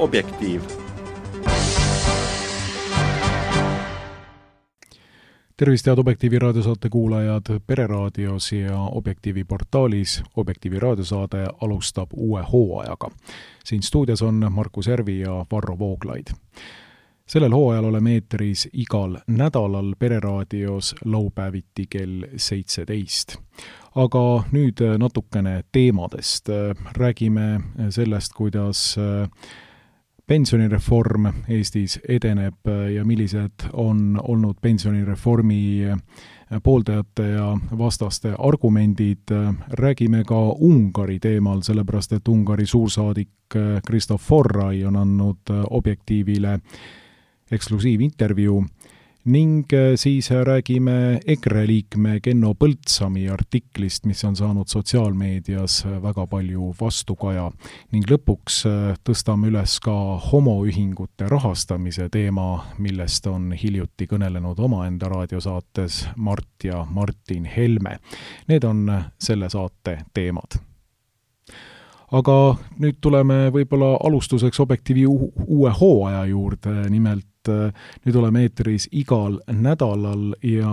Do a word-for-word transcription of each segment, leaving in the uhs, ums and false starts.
Objektiiv. Tervist, head Objektiivi raadiosaate kuulajad Pereraadios ja Objektiivi portaalis. Objektiivi raadiosaade alustab uue hooajaga. Siin stuudios on Markus Järvi ja Varro Vooglaid. Sellel hooajal oleme eetris igal nädalal Pereraadios laupäeviti kell seitseteist. Aga nüüd natukene teemadest. Räägime sellest, kuidas pensionireform Eestis edeneb ja millised on olnud pensionireformi pooldajate ja vastaste argumendid. Räägime ka Ungari teemal, sellepärast et Ungari suursaadik Kristof Forrai on andnud Objektiivile eksklusiivintervjuu ning siis räägime EKRE liikme Kenno Põldsami artiklist, mis on saanud sotsiaalmeedias väga palju vastukaja ning lõpuks tõstame üles ka homoühingute rahastamise teema, millest on hiljuti kõnelenud omaenda raadiosaates Mart ja Martin Helme. Need on selle saate teemad. Aga nüüd tuleme võib-olla alustuseks Objektiivi uue hooaja juurde, nimelt nüüd oleme eetris igal nädalal ja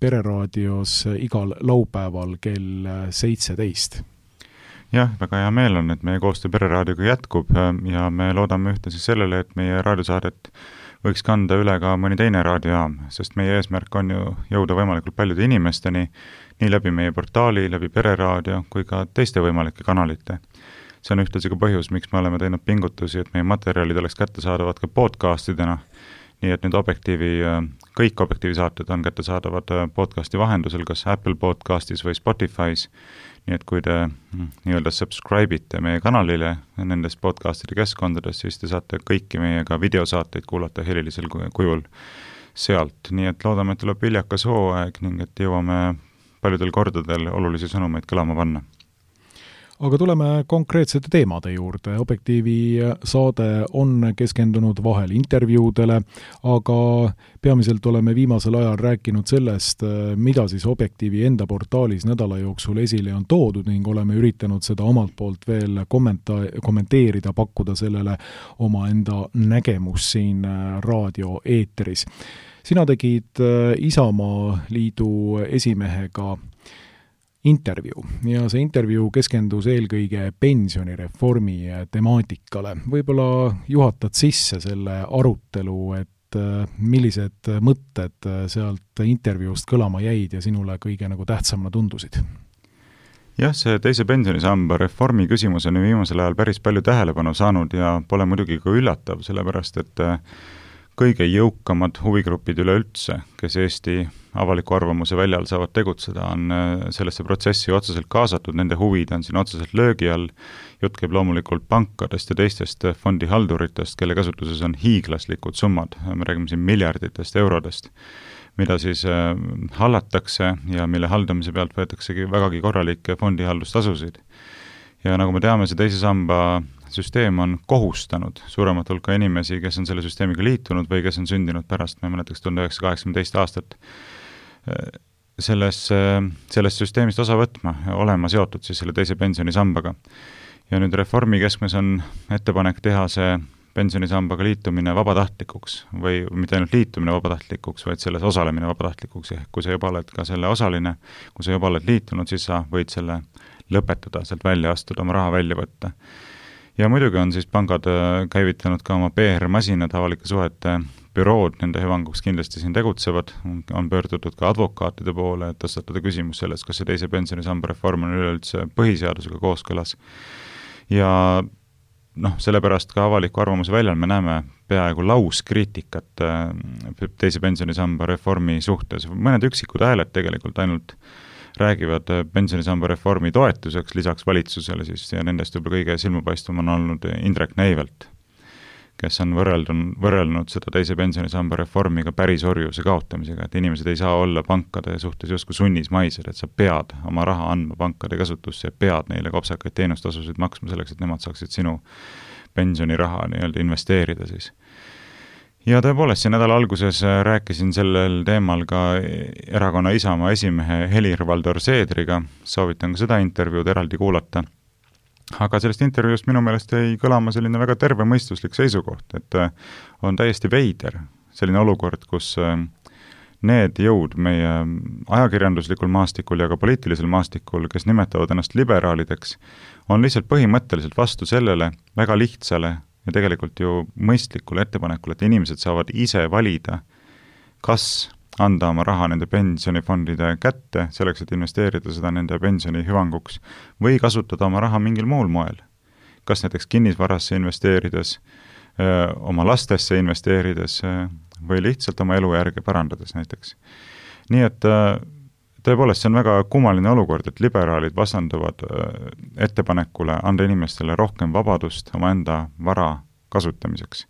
Pereraadios igal laupäeval kell seitseteist. Jah, väga hea meel on, et meie koostöö Pereraadioga jätkub ja me loodame ühtlasi sellele, et meie raadiosaadet võiks kanda üle ka mõni teine raadiojaam, sest meie eesmärk on ju jõuda võimalikult paljude inimesteni, nii läbi meie portaali, läbi Pereraadio kui ka teiste võimalike kanalite. See on ühtlasi ka põhjus, miks me oleme teinud pingutusi, et meie materjalid oleks kättesaadavad ka podcastidena, nii et nüüd Objektiivi, kõik Objektiivi saated on kättesaadavad podcasti vahendusel, kas Apple Podcastis või Spotify's, nii et kui te nii-öelda subscribe'ite meie kanalile nendes podcastide keskkondades, siis te saate kõiki meiega videosaateid kuulata helilisel kujul sealt, nii et loodame, et tuleb viljakas hooaeg ning et jõuame paljudel kordadel olulisi sõnumeid kõlama panna. Aga tuleme konkreetsete teemade juurde. Objektiivi saade on keskendunud vahel intervjuudele, aga peamiselt oleme viimasel ajal rääkinud sellest, mida siis Objektiivi enda portaalis nädala jooksul esile on toodud ning oleme üritanud seda omalt poolt veel kommenta- kommenteerida, pakkuda sellele oma enda nägemus siin raadio eetris. Sina tegid Isamaa liidu esimehega intervjuu ja see intervjuu keskendus eelkõige pensionireformi temaatikale. Võib-olla juhatad sisse selle arutelu, et millised mõtted sealt intervjuust kõlama jäid ja sinule kõige nagu tähtsamana tundusid? Jah, see teise pensionisamba reformi küsimus on viimasel ajal päris palju tähelepanu saanud ja pole muidugi ka üllatav, sellepärast et kõige jõukamad huvigrupid üleüldse, kes Eesti avaliku arvamuse väljal saavad tegutseda, on sellesse protsessi otseselt kaasatud, nende huvid on siin otseselt löögi all. Jutt käib loomulikult pankadest ja teistest fondihalduritest, kelle kasutuses on hiiglaslikud summad, me räägime siin miljarditest eurodest, mida siis hallatakse ja mille haldamise pealt võetaksegi vägagi korralikke fondihaldustasusid. Ja nagu me teame, see teise samba süsteem on kohustanud suuremat hulka inimesi, kes on selle süsteemiga liitunud või kes on sündinud pärast, me mõnetaks tuhande üheksasaja kaheksakümne aastat, selles, sellest süsteemist osa võtma, olema seotud siis selle teise pensionisambaga. Ja nüüd reformi keskmes on ettepanek teha see pensionisambaga liitumine vabatahtlikuks või mitte ainult liitumine vabatahtlikuks, vaid selles osalemine vabatahtlikuks. Ja kui sa juba oled ka selle osaline, kui sa juba oled liitunud, siis sa võid selle lõpetada, sealt välja astuda, oma raha välja võtta. Ja muidugi on siis pangad käivitanud ka oma P R-masinad, avalike suhete bürood, nende hüvanguks kindlasti siin tegutsevad, on pöördutud ka advokaatide poole, et tõstatada küsimus sellest, kas see teise pensionisamba reform on üleüldse põhiseadusega kooskõlas. Ja noh, sellepärast ka avaliku arvamuse väljal me näeme peaaegu lauskriitikat teise pensionisamba reformi suhtes. Mõned üksikud hääled tegelikult ainult räägivad pensionisamba reformi toetuseks lisaks valitsusele siis, ja nendest juba kõige silmapaistvam on olnud Indrek Neivelt, kes on võrreldun, võrrelnud seda teise pensionisamba reformiga pärisorjuse kaotamisega, et inimesed ei saa olla pankade suhtes justkui sunnismaised, et sa pead oma raha andma pankade kasutusse ja pead neile kopsakaid teenustasusid maksma selleks, et nemad saaksid sinu pensioniraha nii-öelda investeerida siis. Ja tõepoolest, see nädala alguses rääkisin sellel teemal ka erakonna Isamaa esimehe Helir-Valdor Seedriga, soovitan ka seda intervjuud eraldi kuulata. aga sellest intervjuust minu meelest jäi kõlama selline väga tervemõistuslik seisukoht, et on täiesti veider selline olukord, kus need jõud meie ajakirjanduslikul maastikul ja ka poliitilisel maastikul, kes nimetavad ennast liberaalideks, on lihtsalt põhimõtteliselt vastu sellele väga lihtsale ja tegelikult ju mõistlikule ettepanekule, et inimesed saavad ise valida, kas anda oma raha nende pensionifondide kätte, selleks, et investeerida seda nende pensioni hüvanguks, või kasutada oma raha mingil muul moel. Kas näiteks kinnisvarasse investeerides, öö, oma lastesse investeerides öö, või lihtsalt oma elujärge parandades näiteks. Nii et öö, tõepoolest see on väga kummaline olukord, et liberaalid vastanduvad öö, ettepanekule anda inimestele rohkem vabadust oma enda vara kasutamiseks.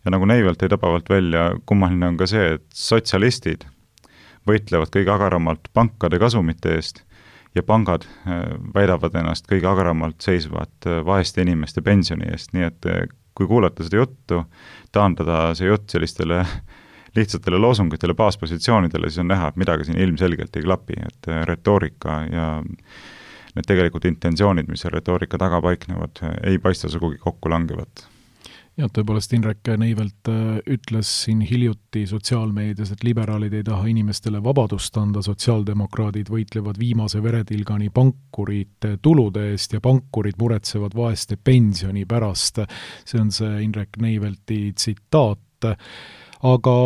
Ja nagu Neivelt ei tabavalt välja, kummaline on ka see, et sotsialistid võitlevad kõige agaramalt pankade kasumite eest ja pangad väidavad ennast kõige agaramalt seisvat vaeste inimeste pensioni eest, nii et kui kuulata seda juttu, taandada see jutt sellistele lihtsatele loosungitele, baaspositsioonidele, siis on näha, et midagi siin ilmselgelt ei klapi, et retoorika ja need tegelikult intentsioonid, mis retoorika taga paiknevad, ei paista sugugi kokku langevat. Ja tõepoolest Indrek Neivelt ütles siin hiljuti sotsiaalmeedias, et liberaalid ei taha inimestele vabadust anda, sotsiaaldemokraadid võitlevad viimase veretilgani pankurite tulude eest ja pankurid muretsevad vaeste pensioni pärast. See on see Indrek Neivelti tsitaat. Aga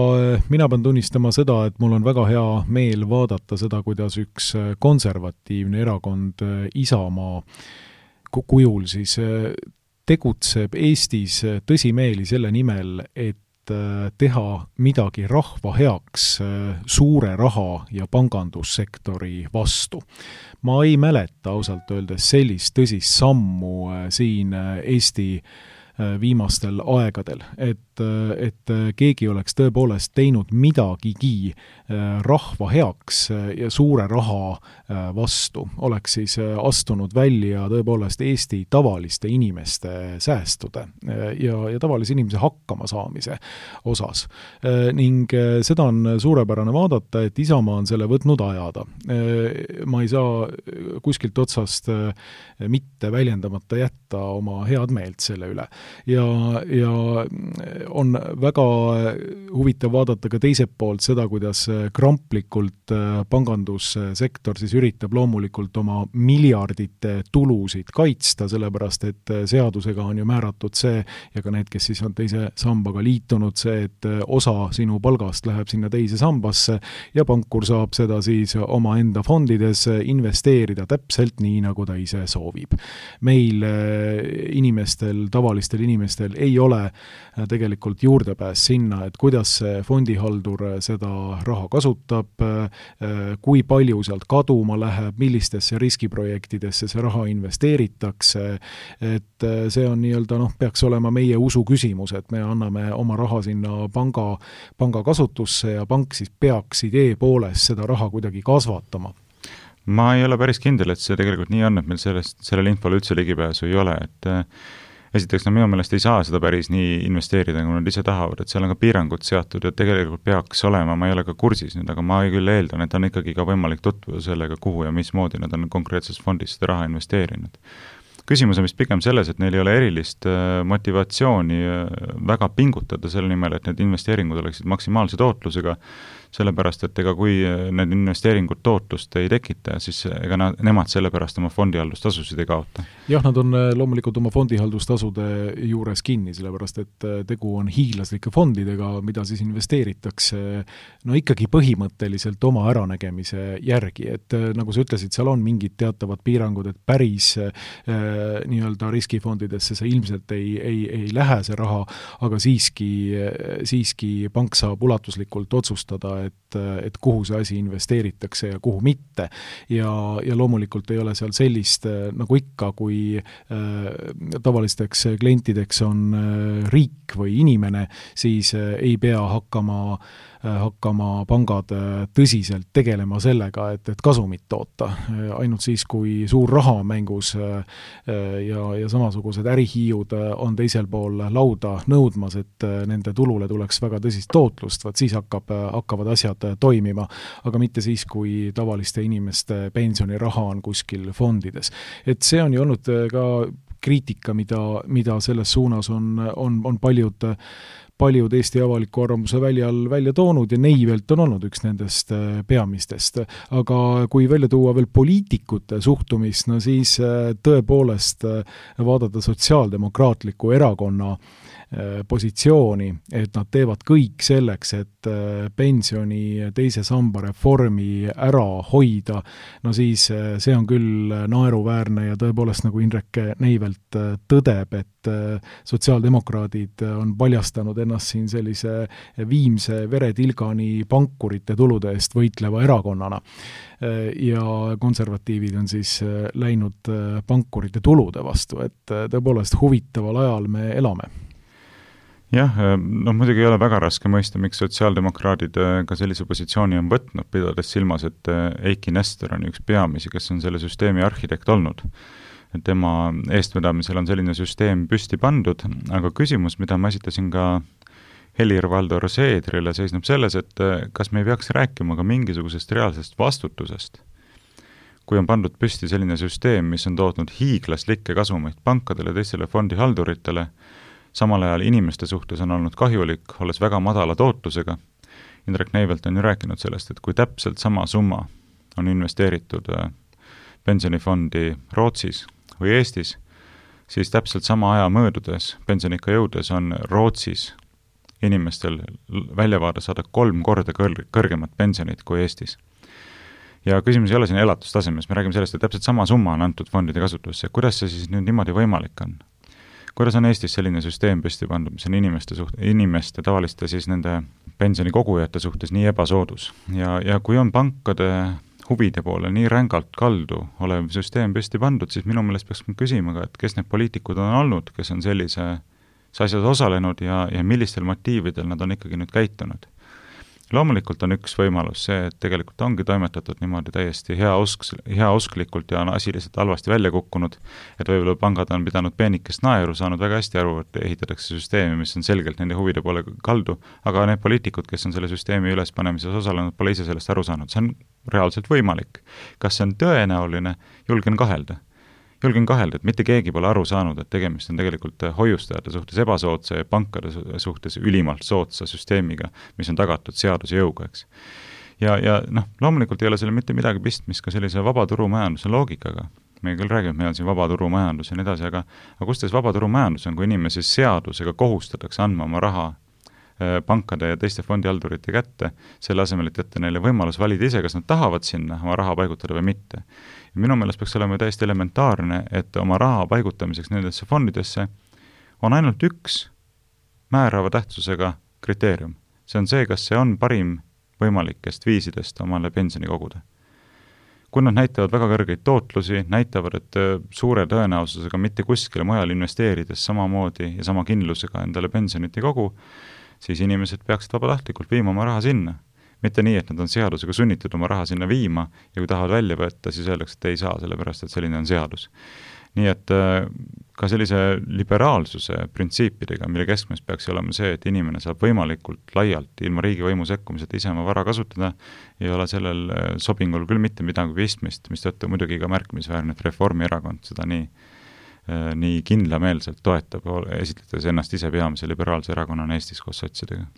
mina pean tunnistama seda, et mul on väga hea meel vaadata seda, kuidas üks konservatiivne erakond Isamaa kujul siis tegutseb Eestis tõsimeeli selle nimel, et teha midagi rahva heaks suure raha ja pangandussektori vastu. Ma ei mäleta ausalt öeldes sellist tõsist sammu siin Eesti viimastel aegadel, et, et keegi oleks tõepoolest teinud midagigi rahva heaks ja suure raha vastu, oleks siis astunud välja tõepoolest Eesti tavaliste inimeste säästude ja, ja tavalise inimese hakkama saamise osas. Ning seda on suurepärane vaadata, et Isamaa on selle võtnud ajada. Ma ei saa kuskilt otsast mitte väljendamata jätta oma head meelt selle üle. Ja, ja on väga huvitav vaadata ka teiselt poolt seda, kuidas kramplikult pangandussektor siis üritab loomulikult oma miljardite tulusid kaitsta, sellepärast et seadusega on ju määratud see, ja ka need, kes siis on teise sambaga liitunud, see, et osa sinu palgast läheb sinna teise sambasse ja pankur saab seda siis oma enda fondides investeerida täpselt nii, nagu ta ise soovib. Meil inimestel, tavalistel inimestel ei ole tegelikult juurdepääs sinna, et kuidas see fondihaldur seda raha kasutab, kui palju sealt kaduma läheb, millistesse riskiprojektidesse see raha investeeritakse, et see on nii-öelda, noh, peaks olema meie usu küsimus, et me anname oma raha sinna panga, panga kasutusse ja pank siis peaks idee poolest seda raha kuidagi kasvatama. Ma ei ole päris kindel, et see tegelikult nii on, et meil sellest, sellele infole üldse ligipääsu ei ole, et esiteks, no minu meelest ei saa seda päris nii investeerida, kui nad ise tahavad, et seal on ka piirangud seatud ja tegelikult peaks olema, ma ei ole ka kursis nüüd, aga ma küll eeldan, et on ikkagi ka võimalik tutvuda sellega, kuhu ja mismoodi nad on konkreetses fondis seda raha investeerinud. Küsimus on vist pigem selles, et neil ei ole erilist motivatsiooni väga pingutada selle nimel, et need investeeringud oleksid maksimaalse tootlusega, sellepärast, et ega kui need investeeringud tootlust ei tekita, siis ega nad, nemad sellepärast oma fondihaldustasusid ei kaota. Jah, nad on loomulikult oma fondihaldustasude juures kinni, sellepärast, et tegu on hiilaslike fondidega, mida siis investeeritakse no ikkagi põhimõtteliselt oma äranägemise järgi, et nagu sa ütlesid, seal on mingid teatavad piirangud, et päris äh, nii-öelda riskifondidesse see ilmselt ei, ei, ei lähe see raha, aga siiski, siiski pank saab ulatuslikult otsustada, et, et kuhu see asi investeeritakse ja kuhu mitte. Ja, ja loomulikult ei ole seal sellist, nagu ikka, kui äh, tavalisteks klientideks on äh, riik või inimene, siis äh, ei pea hakkama hakkama pangad tõsiselt tegelema sellega, et, et kasumit toota. Ainult siis, kui suur raha on mängus ja, ja samasugused ärihiiud on teisel pool lauda nõudmas, et nende tulule tuleks väga tõsist tootlust, vaat siis hakkab, hakkavad asjad toimima, aga mitte siis, kui tavaliste inimeste pensioniraha on kuskil fondides. Et see on ju olnud ka kriitika, mida, mida selles suunas on, on, on paljud paljud Eesti avaliku arvamuse väljal välja toonud ja Neivelt on olnud üks nendest peamistest. Aga kui välja tuua veel poliitikute suhtumist, no siis tõepoolest vaadata sotsiaaldemokraatliku erakonna positsiooni, et nad teevad kõik selleks, et pensioni teise samba reformi ära hoida, no siis see on küll naeruväärne ja tõepoolest nagu Indrek Neivelt tõdeb, et sotsiaaldemokraadid on paljastanud ennast siin sellise viimse veretilgani pankurite tulude eest võitleva erakonnana. Ja konservatiivid on siis läinud pankurite tulude vastu, et tõepoolest huvitaval ajal me elame. Jah, no muidugi ei ole väga raske mõista, miks sotsiaaldemokraadid ka sellise positsiooni on võtnud, pidades silmas, et Eiki Nestor on üks peamisi, kes on selle süsteemi arhitekt olnud. Tema eestvedamisel on selline süsteem püsti pandud, aga küsimus, mida ma esitasin ka Helir-Valdor Seedrile, seisneb selles, et kas me ei peaks rääkima ka mingisugusest reaalsest vastutusest. Kui on pandud püsti selline süsteem, mis on tootnud hiiglaslikke kasumeid pankadele, teistele fondihalduritele, samal ajal inimeste suhtes on olnud kahjulik, olles väga madala tootlusega. Indrek Neivelt on ju rääkinud sellest, et kui täpselt sama summa on investeeritud pensionifondi Rootsis või Eestis, siis täpselt sama aja möödudes, pensionikka jõudes on Rootsis inimestel väljavaade saada kolm korda kõr- kõrgemat pensionit kui Eestis. Ja küsimus ei ole siin elatustasemes, me räägime sellest, et täpselt sama summa on antud fondide kasutusse. Kuidas see siis nüüd niimoodi võimalik on? Kuidas on Eestis selline süsteem püsti pandud, mis on inimeste, suht, inimeste tavaliste siis nende pensionikogujate suhtes nii ebasoodus? Ja, ja kui on pankade huvide poole nii rängalt kaldu olev süsteem püsti pandud, siis minu meelest peaks küsima ka, et kes need poliitikud on olnud, kes on sellise asjas osalenud ja, ja millistel motiividel nad on ikkagi nüüd käitunud. Loomulikult on üks võimalus see, et tegelikult ongi toimetatud niimoodi täiesti heausk, heausklikult ja on asi lihtsalt halvasti välja kukkunud, et võib-olla pangad on pidanud peenikest naeru, saanud väga hästi aru, et ehitatakse süsteemi, mis on selgelt nende huvide poole kaldu, aga need poliitikud, kes on selle süsteemi ülespanemises osalenud, pole ise sellest aru saanud. See on reaalselt võimalik. Kas see on tõenäoline? Julgen kahelda. Julgen kahelda, et mitte keegi pole aru saanud, et tegemist on tegelikult hoiustajate suhtes ebasoodsa ja pankade suhtes ülimalt soodsa süsteemiga, mis on tagatud seaduse jõuga, eks. Ja, ja noh, loomulikult ei ole selle mitte midagi pistmist ka sellise vabaturumajanduse loogikaga. Me küll räägime, et meil on siin vabaturumajandus ja nii edasi, aga, aga kus teis vabaturumajandus on, kui inimesi seadusega kohustatakse andma oma raha pankade ja teiste fondihaldurite kätte, selle asemel, et jätta neile võimalus valida ise, kas nad tahavad sinna oma raha paigutada või mitte. Ja minu meelest peaks olema täiesti elementaarne, et oma raha paigutamiseks nendesse fondidesse on ainult üks määrava tähtsusega kriteerium. See on see, kas see on parim võimalikest viisidest omale pensioni koguda. Kui nad näitavad väga kõrgeid tootlusi, näitavad, et suure tõenäosusega mitte kuskile mujal investeerides samamoodi ja sama kindlusega endale pensionit ei kogu, siis inimesed peaksid vabatahtlikult viima oma raha sinna. Mitte nii, et nad on seadusega sunnitud oma raha sinna viima ja kui tahavad välja võtta, siis öeldakse, et ei saa, sellepärast, et selline on seadus. Nii et ka sellise liberaalsuse printsiipidega, mille keskmes peaks olema see, et inimene saab võimalikult laialt ilma riigivõimu sekkumiseta ise oma vara kasutada, ei ole sellel sobingul küll mitte midagi pistmist, mis tõttu muidugi ka märkimisväärne, et Reformierakond seda nii nii kindlameelselt toetab, esitledes ennast ise peamise liberaalse erakonnana Eestis koos sotsidega.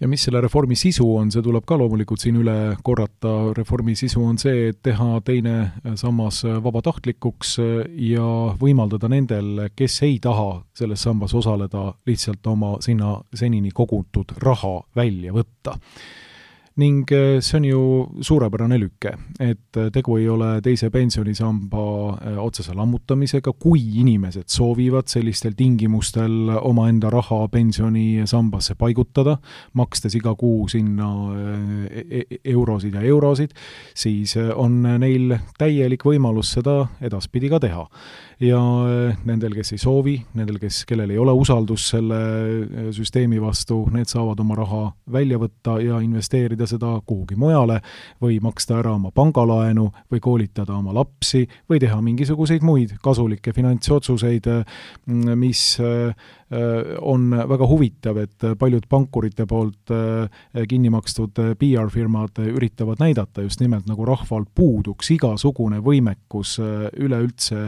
Ja mis selle reformi sisu on, see tuleb ka loomulikult siin üle korrata. Reformi sisu on see, et teha teine sammas vabatahtlikuks ja võimaldada nendel, kes ei taha selles sambas osaleda, lihtsalt oma sinna senini kogutud raha välja võtta. Ning see on ju suurepärane lükke, et tegu ei ole teise pensionisamba otsese lammutamisega, kui inimesed soovivad sellistel tingimustel oma enda raha pensionisambasse paigutada, makstes iga kuu sinna eurosid ja eurosid, siis on neil täielik võimalus seda edaspidi ka teha. Ja nendel, kes ei soovi, nendel, kes, kellel ei ole usaldus selle süsteemi vastu, need saavad oma raha välja võtta ja investeerida hoida seda kuhugi mujale või maksta ära oma pangalaenu või koolitada oma lapsi või teha mingisuguseid muid kasulikke finantsotsuseid, mis on väga huvitav, et paljud pankurite poolt kinni makstud P R-firmad üritavad näidata just nimelt, nagu rahval puuduks igasugune võimekus üleüldse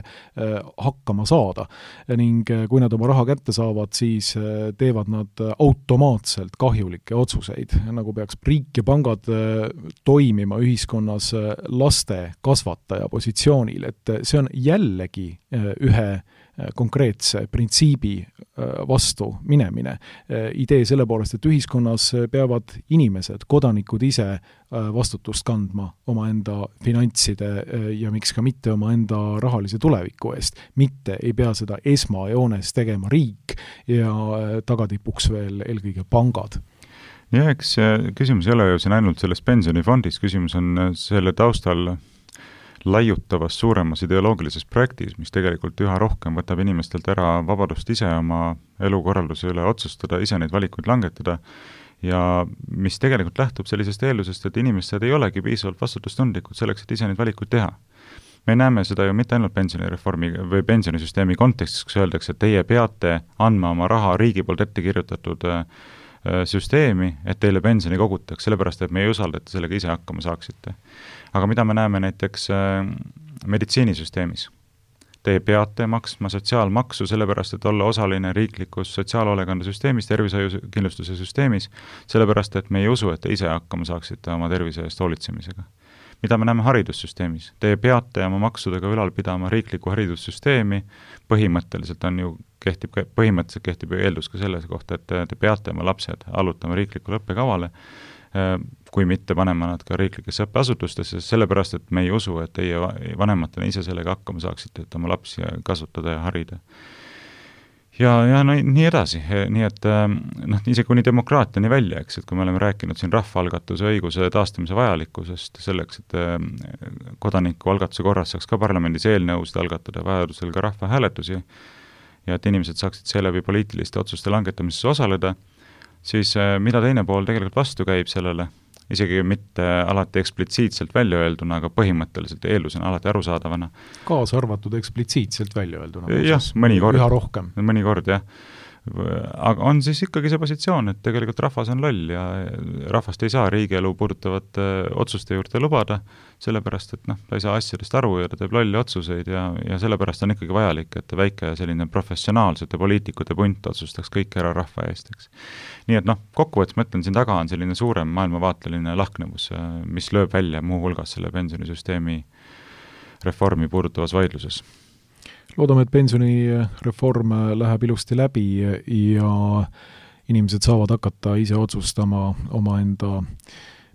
hakkama saada. Ning kui nad oma raha kätte saavad, siis teevad nad automaatselt kahjulikke otsuseid, nagu peaks riik ja pangad toimima ühiskonnas laste kasvataja positsioonil, et see on jällegi ühe konkreetse printsiibi vastu minemine. Idee selle poolest, et ühiskonnas peavad inimesed, kodanikud ise vastutust kandma omaenda finantside ja miks ka mitte omaenda rahalise tuleviku eest. Mitte ei pea seda esmajoones tegema riik ja tagatipuks veel eelkõige pangad. Ja eks küsimus ei ole ju siin ainult selles pensionifondis, küsimus on selle taustal laiutavas suuremas ideoloogilises projektis, mis tegelikult üha rohkem võtab inimestelt ära vabadust ise oma elukorralduse üle otsustada, ise neid valikuid langetada ja mis tegelikult lähtub sellisest eeldusest, et inimesed ei olegi piisavalt vastutustundlikud selleks, et ise neid valikuid teha. Me näeme seda ju mitte ainult pensionireformi või pensionisüsteemi kontekstis, kus öeldakse, et teie peate andma oma raha riigi poolt ette kirjutatud süsteemi, et teile pensioni kogutaks, sellepärast, et me ei usalda, et sellega ise hakkama saaksite. Aga mida me näeme näiteks meditsiinisüsteemis? Teie peate maksma sotsiaalmaksu sellepärast, et olla osaline riiklikus sotsiaalhoolekandesüsteemis, tervishoiukindlustuse süsteemis, sellepärast, et me ei usu, et te ise hakkama saaksite oma tervise eest hoolitsemisega. Mida me näeme haridussüsteemis? Te peate oma maksudega ülal pidama riiklikku haridussüsteemi, põhimõtteliselt on ju kehtib, põhimõtteliselt kehtib eeldus ka selles kohta, et te peate oma lapsed allutama riiklikule õppekavale, kui mitte panema nad ka riiklikesse õppeasutustesse, sellepärast, et me ei usu, et teie vanematena ise sellega hakkama saaksite, et oma lapsi kasutada ja harida. Ja, ja no, nii edasi, nii et noh, isegi kuni demokraatiani välja, eks, et kui me oleme rääkinud siin rahvaalgatuse õiguse taastamise vajalikkusest selleks, et kodaniku algatuse korras saaks ka parlamendis eelnõusid algatada, vajadusel ka rahvahääletusi ja et inimesed saaksid seeläbi poliitiliste otsuste langetamises osaleda, siis mida teine pool tegelikult vastu käib sellele, isegi mitte alati eksplitsiitselt välja öelduna, aga põhimõtteliselt eeldusena alati arusaadavana. Kaasa arvatud eksplitsiitselt välja öelduna. Jah, mõnikord. Üha rohkem. Mõnikord, jah. Aga on siis ikkagi see positsioon, et tegelikult rahvas on loll ja rahvast ei saa riigielu puudutavate otsuste juurde lubada, sellepärast, et noh, ta ei saa asjadest aru ja ta teeb lolli otsuseid ja, ja sellepärast on ikkagi vajalik, et väike selline professionaalsete poliitikute punt otsustaks kõik ära rahva eest, eks. Nii et noh, kokkuvõttes mõtlen, siin taga on selline suurem maailmavaateline lahknevus, mis lööb välja muu hulgas selle pensionisüsteemi reformi puudutavas vaidluses. Loodame, et pensionireform läheb ilusti läbi ja inimesed saavad hakata ise otsustama omaenda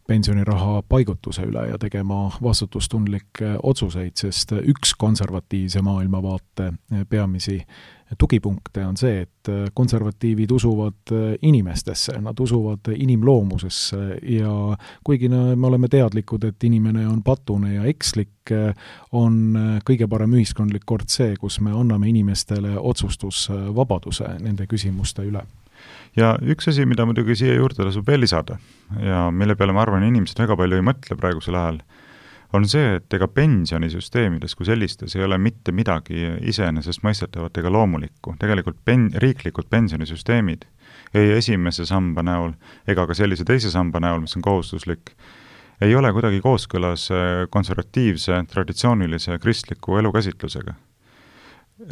pensioniraha paigutuse üle ja tegema vastutustundlikke otsuseid, sest üks konservatiivse maailmavaate peamisi tugipunkte on see, et konservatiivid usuvad inimestesse, nad usuvad inimloomusesse ja kuigi me oleme teadlikud, et inimene on patune ja ekslik, on kõige parem ühiskondlik kord see, kus me anname inimestele otsustusvabaduse nende küsimuste üle. Ja üks asi, mida muidugi siia juurde tasub veel lisada ja mille peale ma arvan, inimesed väga palju ei mõtle praegusel ajal, on see, et ega pensionisüsteemides kui sellistes ei ole mitte midagi iseenesest mõistetavat ega loomulikku. Tegelikult pen, riiklikud pensionisüsteemid ei esimese samba näol ega ka sellise teise samba näol, mis on kohustuslik, ei ole kuidagi kooskõlas konservatiivse, traditsioonilise kristliku elukäsitlusega.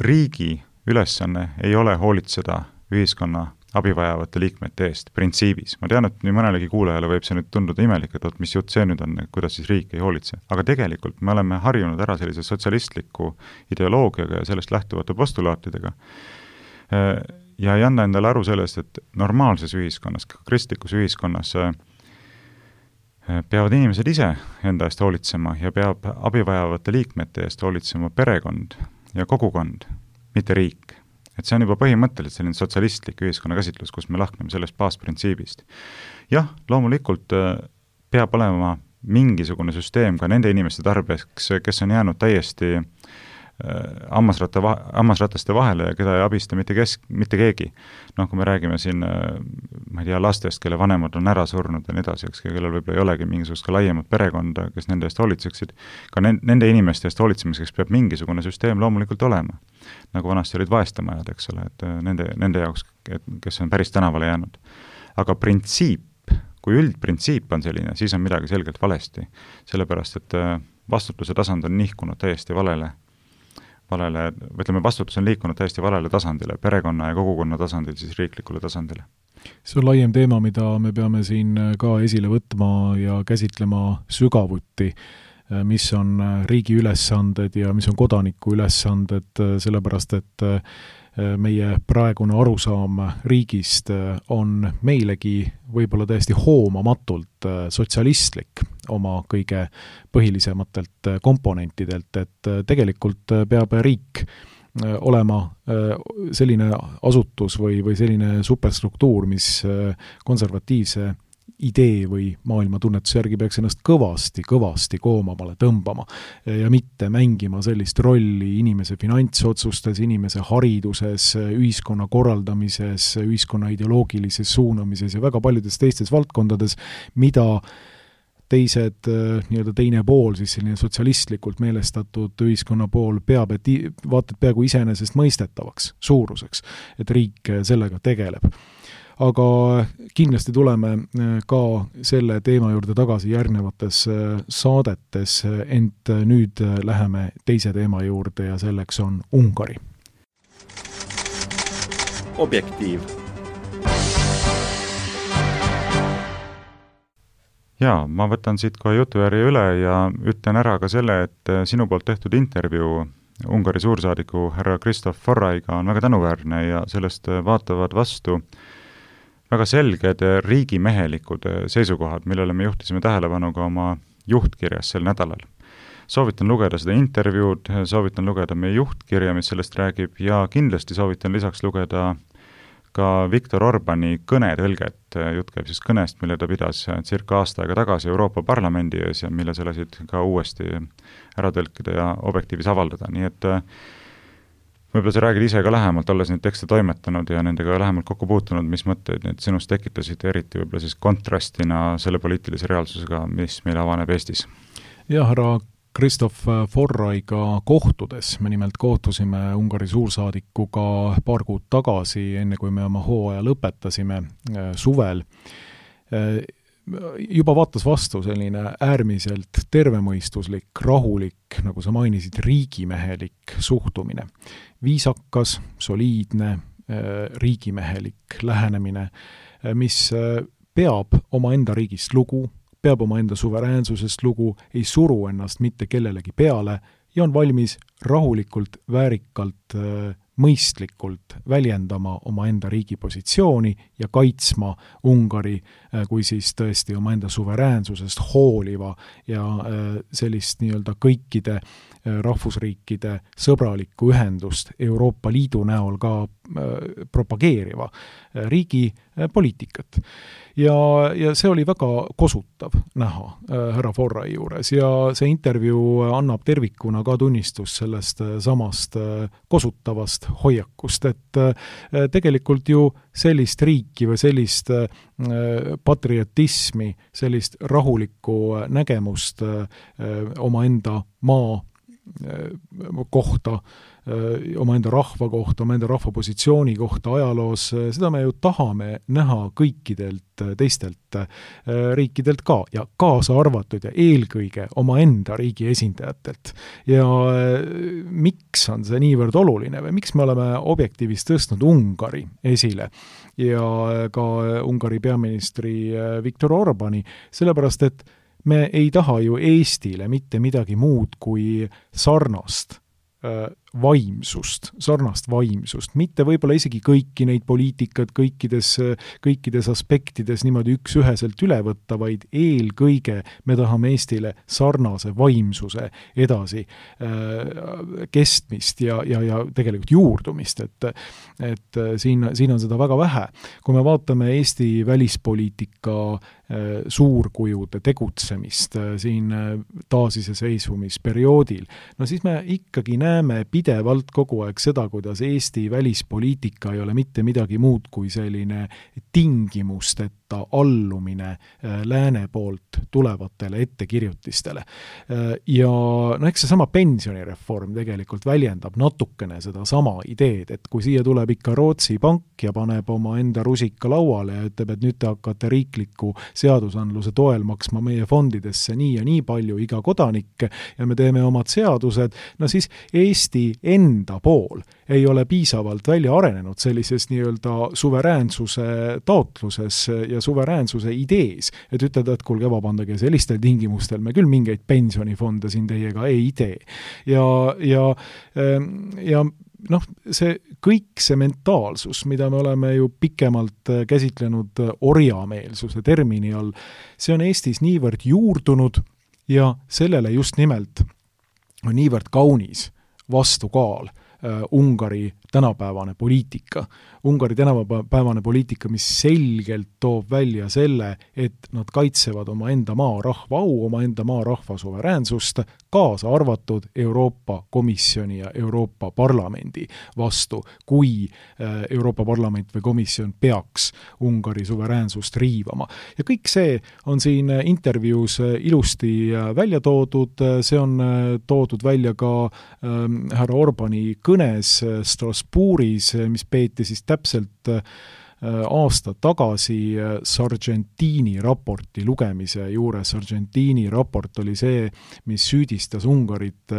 Riigi ülesanne ei ole hoolitseda ühiskonna abivajavate liikmete eest printsiibis. Ma tean, et nii mõnelegi kuulajale võib see nüüd tunduda imelik, et mis jutt see nüüd on, kuidas siis riik ei hoolitse. Aga tegelikult me oleme harjunud ära sellise sotsialistliku ideoloogiaga ja sellest lähtuvate postulaatidega. Ja ei anna endale aru sellest, et normaalses ühiskonnas, kristlikus ühiskonnas peavad inimesed ise enda eest hoolitsema ja peab abivajavate liikmete eest hoolitsema perekond ja kogukond, mitte riik. Et see on juba põhimõtteliselt selline sotsialistlik ühiskonna käsitlus, kus me lahkneme sellest baasprintsiibist. Jah, loomulikult peab olema mingisugune süsteem ka nende inimeste tarbeks, kes on jäänud täiesti hammasratta, hammasrataste vahele ja keda ei abista mitte, kesk, mitte keegi. Noh, kui me räägime siin ma ei tea, lastest, kelle vanemad on ära surnud ja nii edasi, eks, kellel võib-olla ei olegi mingisugust ka laiemat perekonda, kes nende eest hoolitseksid, ka nende inimeste eest hoolitsemiseks peab mingisugune süsteem loomulikult olema. Nagu vanasti olid vaestamajad, eks ole, et nende, nende jaoks, kes on päris tänavale jäänud. Aga printsiip, kui üldprintsiip on selline, siis on midagi selgelt valesti, sellepärast et vastutuse tasand on nihkunud täiesti valele valele, ütleme, vastutus on liikunud täiesti valele tasandile, perekonna ja kogukonna tasandil, siis riiklikule tasandile. See on laiem teema, mida me peame siin ka esile võtma ja käsitlema sügavuti, mis on riigi ülesanded ja mis on kodaniku ülesanded, sellepärast et meie praegune arusaam riigist on meilegi võib-olla täiesti hoomamatult sotsialistlik oma kõige põhilisematelt komponentidelt, et tegelikult peab riik olema selline asutus või, või selline superstruktuur, mis konservatiivse idee või maailma tunnetuse järgi peaks ennast kõvasti, kõvasti koomamale tõmbama ja mitte mängima sellist rolli inimese finantsotsustes, inimese hariduses, ühiskonna korraldamises, ühiskonna ideoloogilises suunamises ja väga paljudes teistes valdkondades, mida teised, nii-öelda teine pool, siis selline sotsialistlikult meelestatud ühiskonna pool peab, et vaatad peaaegu iseenesest mõistetavaks suuruseks, et riik sellega tegeleb. Aga kindlasti tuleme ka selle teema juurde tagasi järgnevates saadetes, ent nüüd läheme teise teema juurde ja selleks on Ungari. Objektiiv. Jaa, ma võtan siit kohe jutujärje üle ja ütlen ära ka selle, et sinu poolt tehtud intervjuu Ungari suursaadiku härra Kristof Forraiga on väga tänuväärne ja sellest vaatavad vastu väga selged riigimehelikud seisukohad, millele me juhtisime tähelepanu ka oma juhtkirjas sel nädalal. Soovitan lugeda seda intervjuud, soovitan lugeda meie juhtkirja, mis sellest räägib ja kindlasti soovitan lisaks lugeda ka Viktor Orbani kõnetõlget. Jutt käib siis kõnest, mille ta pidas circa aasta aega tagasi Euroopa Parlamendi ees ja mille sa lasid ka uuesti ära tõlkida ja objektiivis avaldada. Nii et võib-olla sa räägid ise ka lähemalt, olles neid tekste toimetanud ja nendega lähemalt kokku puutunud, mis mõtteid need sinust tekitasid, eriti võib-olla siis kontrastina selle poliitilise reaalsusega, mis meil avaneb Eestis? Ja, härra Kristof Forraiga kohtudes, me nimelt kohtusime Ungari suursaadikuga paar kuud tagasi, enne kui me oma hooaja lõpetasime suvel, juba vaatas vastu selline äärmiselt tervemõistuslik, rahulik, nagu sa mainisid, riigimehelik suhtumine. Viisakas, soliidne, riigimehelik lähenemine, mis peab oma enda riigist lugu, peab oma enda suveräänsusest lugu, ei suru ennast mitte kellelegi peale ja on valmis rahulikult, väärikalt, mõistlikult väljendama oma enda riigi positsiooni ja kaitsma Ungari kui siis tõesti oma enda suveräänsusest hooliva ja sellist nii-öelda kõikide rahvusriikide sõbralikku ühendust Euroopa Liidu näol ka propageeriva riigi poliitikat. Ja, ja see oli väga kosutav näha härra Forrai juures ja see intervjuu annab tervikuna ka tunnistus sellest samast kosutavast hoiakust, et tegelikult ju sellist riiki või sellist patriotismi, sellist rahulikku nägemust omaenda maa kohta, omaenda rahva kohta, omaenda rahva positsiooni kohta ajaloos, seda me ju tahame näha kõikidelt teistelt riikidelt ka ja kaasa arvatud ja eelkõige omaenda riigi esindajatelt. Ja miks on see niivõrd oluline või miks me oleme objektiivis tõstnud Ungari esile ja ka Ungari peaministri Viktor Orbani, sellepärast et me ei taha ju Eestile mitte midagi muud kui sarnast vaimsust, sarnast vaimsust, mitte võib-olla isegi kõiki neid poliitikat kõikides, kõikides aspektides niimoodi üks-üheselt üle võtta, vaid eelkõige me tahame Eestile sarnase vaimsuse edasi äh, kestmist ja, ja, ja tegelikult juurdumist, et, et siin, siin on seda väga vähe. Kui me vaatame Eesti välispoliitika äh, suurkujude tegutsemist äh, siin äh, taasiseseisvumisperioodil, no siis me ikkagi näeme pidevalt kogu aeg seda, kuidas Eesti välispoliitika ei ole mitte midagi muud kui selline tingimusteta allumine lääne poolt tulevatele ettekirjutistele. Ja no eks see sama pensionireform tegelikult väljendab natukene seda sama ideed, et kui siia tuleb ikka Rootsi pank ja paneb oma enda rusika lauale ja ütleb, et nüüd te hakkate riikliku seadusandluse toel maksma meie fondidesse nii ja nii palju iga kodanik ja me teeme omad seadused, no siis Eesti enda pool ei ole piisavalt välja arenenud sellises nii-öelda suveräänsuse taotluses ja suveräänsuse idees, et ütelda, et kuulge, vabandage, sellistel tingimustel me küll mingeid pensionifonde siin teiega ei tee. Ja, ja, ja noh, see kõik see mentaalsus, mida me oleme ju pikemalt käsitlenud orjameelsuse termini all, see on Eestis niivõrd juurdunud ja sellele just nimelt on niivõrd kaunis vastukaal uh, Ungari tänapäevane poliitika. Ungari tänapäevane poliitika, mis selgelt toob välja selle, et nad kaitsevad oma enda maa rahva au, oma enda maa rahva suveräänsust, kaasa arvatud Euroopa Komisjoni ja Euroopa Parlamendi vastu, kui Euroopa Parlament või komisjon peaks Ungari suveräänsust riivama. Ja kõik see on siin intervjuus ilusti välja toodud, see on toodud välja ka ähm, härra Orbani kõnes Strasbourgis, mis peeti siis täpselt aasta tagasi Sargentini raporti lugemise juures. Sargentini raport oli see, mis süüdistas Ungarit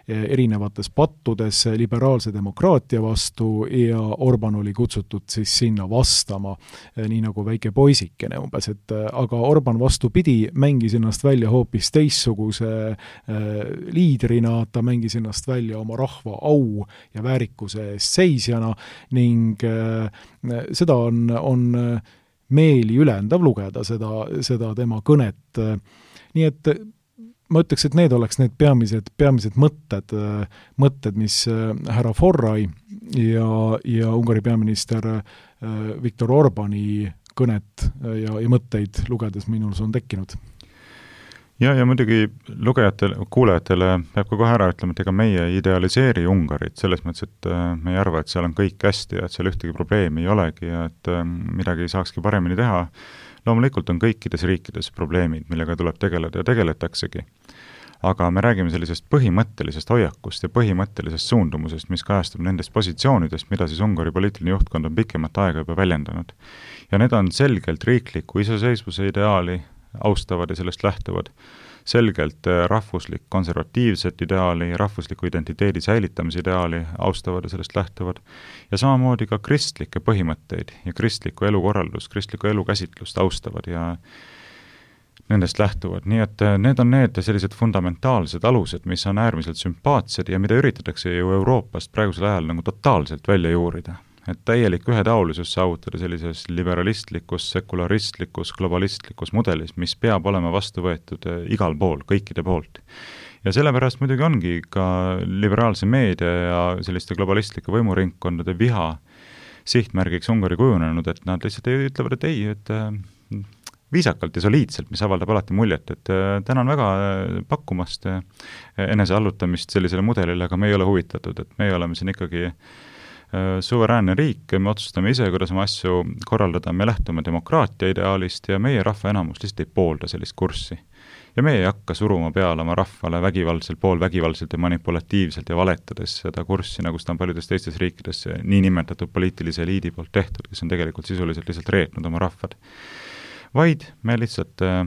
erinevates pattudes liberaalse demokraatia vastu ja Orban oli kutsutud siis sinna vastama, nii nagu väike poisikene umbes, et aga Orban vastupidi mängis ennast välja hoopis teistsuguse liidrina, ta mängis ennast välja oma rahva au ja väärikuse eest seisjana ning seda on, on meeli ülendav lugeda seda, seda tema kõnet. Nii et ma ütleks, et need oleks need peamised, peamised mõtted, mõtted, mis härra Forrai ja, ja Ungari peaminister Viktor Orbani kõnet ja, ja mõtteid lugedes minul on tekkinud. Ja, ja muidugi lugejatele, kuulajatele peab ka kohe ära ütlema, et ega meie idealiseeri Ungarit selles mõttes, et me ei arva, et seal on kõik hästi ja et seal ühtegi probleemi ei olegi ja et midagi ei saakski paremini teha. Loomulikult on kõikides riikides probleemid, millega tuleb tegeleda ja tegeletaksegi. Aga me räägime sellisest põhimõttelisest hoiakust ja põhimõttelisest suundumusest, mis kajastub nendest positsioonidest, mida siis Ungari poliitiline juhtkond on pikemat aega juba väljendanud. Ja need on selgelt riikliku iseseisvuse ideaali austavad ja sellest lähtuvad, selgelt rahvuslik konservatiivset ideaali, rahvusliku identiteedi säilitamise ideaali austavad ja sellest lähtuvad ja samamoodi ka kristlikke põhimõtteid ja kristlikku elukorraldust, kristlikku elukäsitlust austavad ja nendest lähtuvad. Nii et need on need sellised fundamentaalsed alused, mis on äärmiselt sümpaatsed ja mida üritatakse ju Euroopast praegusel ajal nagu totaalselt välja juurida. Et täielik ühetaolisus saavutada sellises liberalistlikus, sekularistlikus, globalistlikus mudelis, mis peab olema vastu võetud igal pool, kõikide poolt. Ja sellepärast muidugi ongi ka liberaalse meedia ja selliste globalistlikke võimuringkondade viha sihtmärgiks Ungari kujunenud, et nad lihtsalt ütlevad, et ei, et viisakalt ja soliidselt, mis avaldab alati muljet, et tänan väga pakkumast enese allutamist sellisele mudelile, aga me ei ole huvitatud, et me oleme siin ikkagi suveräänne riik, me otsustame ise, kuidas oma asju korraldada, me lähtume demokraatia ideaalist ja meie rahva enamus lihtsalt ei poolda sellist kurssi. Ja me ei hakka suruma peale oma rahvale vägivaldselt, pool vägivaldselt ja manipulatiivselt ja valetades seda kurssi, nagu seda on paljudes teistes riikides nii nimetatud poliitilise eliidi poolt tehtud, kes on tegelikult sisuliselt lihtsalt reetnud oma rahvad. Vaid me lihtsalt äh,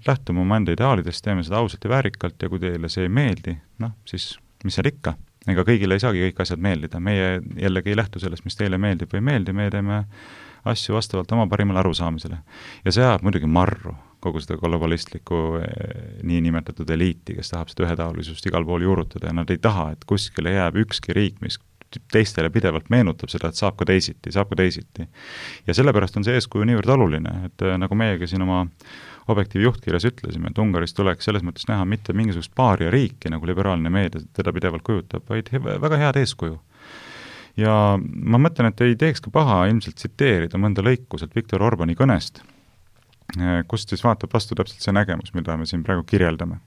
lähtume oma enda ideaalidest, teeme seda ausalt ja väärikalt ja kui teile see ei meeldi, noh, siis mis seal ikka? Ega kõigile ei saagi kõik asjad meeldida. Meie jällegi ei lähtu sellest, mis teile meeldib või ei meeldi, me teeme asju vastavalt oma parimale arusaamisele. Ja see ajab muidugi marru kogu seda globalistlikku nii nimetatud eliiti, kes tahab seda ühetaolisust igal pool juurutada ja nad ei taha, et kuskile jääb ükski riik, mis teistele pidevalt meenutab seda, et saab ka teisiti, saab ka teisiti. Ja sellepärast on see eeskuju niivõrd oluline, et nagu meiega siin oma Objektiivi juhtkirjas ütlesime, et Ungaris tuleks selles mõttes näha mitte mingisugust paaria riiki, nagu liberaalne meedia teda pidevalt kujutab, vaid väga head eeskuju. Ja ma mõtlen, et ei teeks ka paha ilmselt tsiteerida mõnda lõikuselt Viktor Orbani kõnest, kust siis vaatab vastu täpselt see nägemus, mida me siin praegu kirjeldame.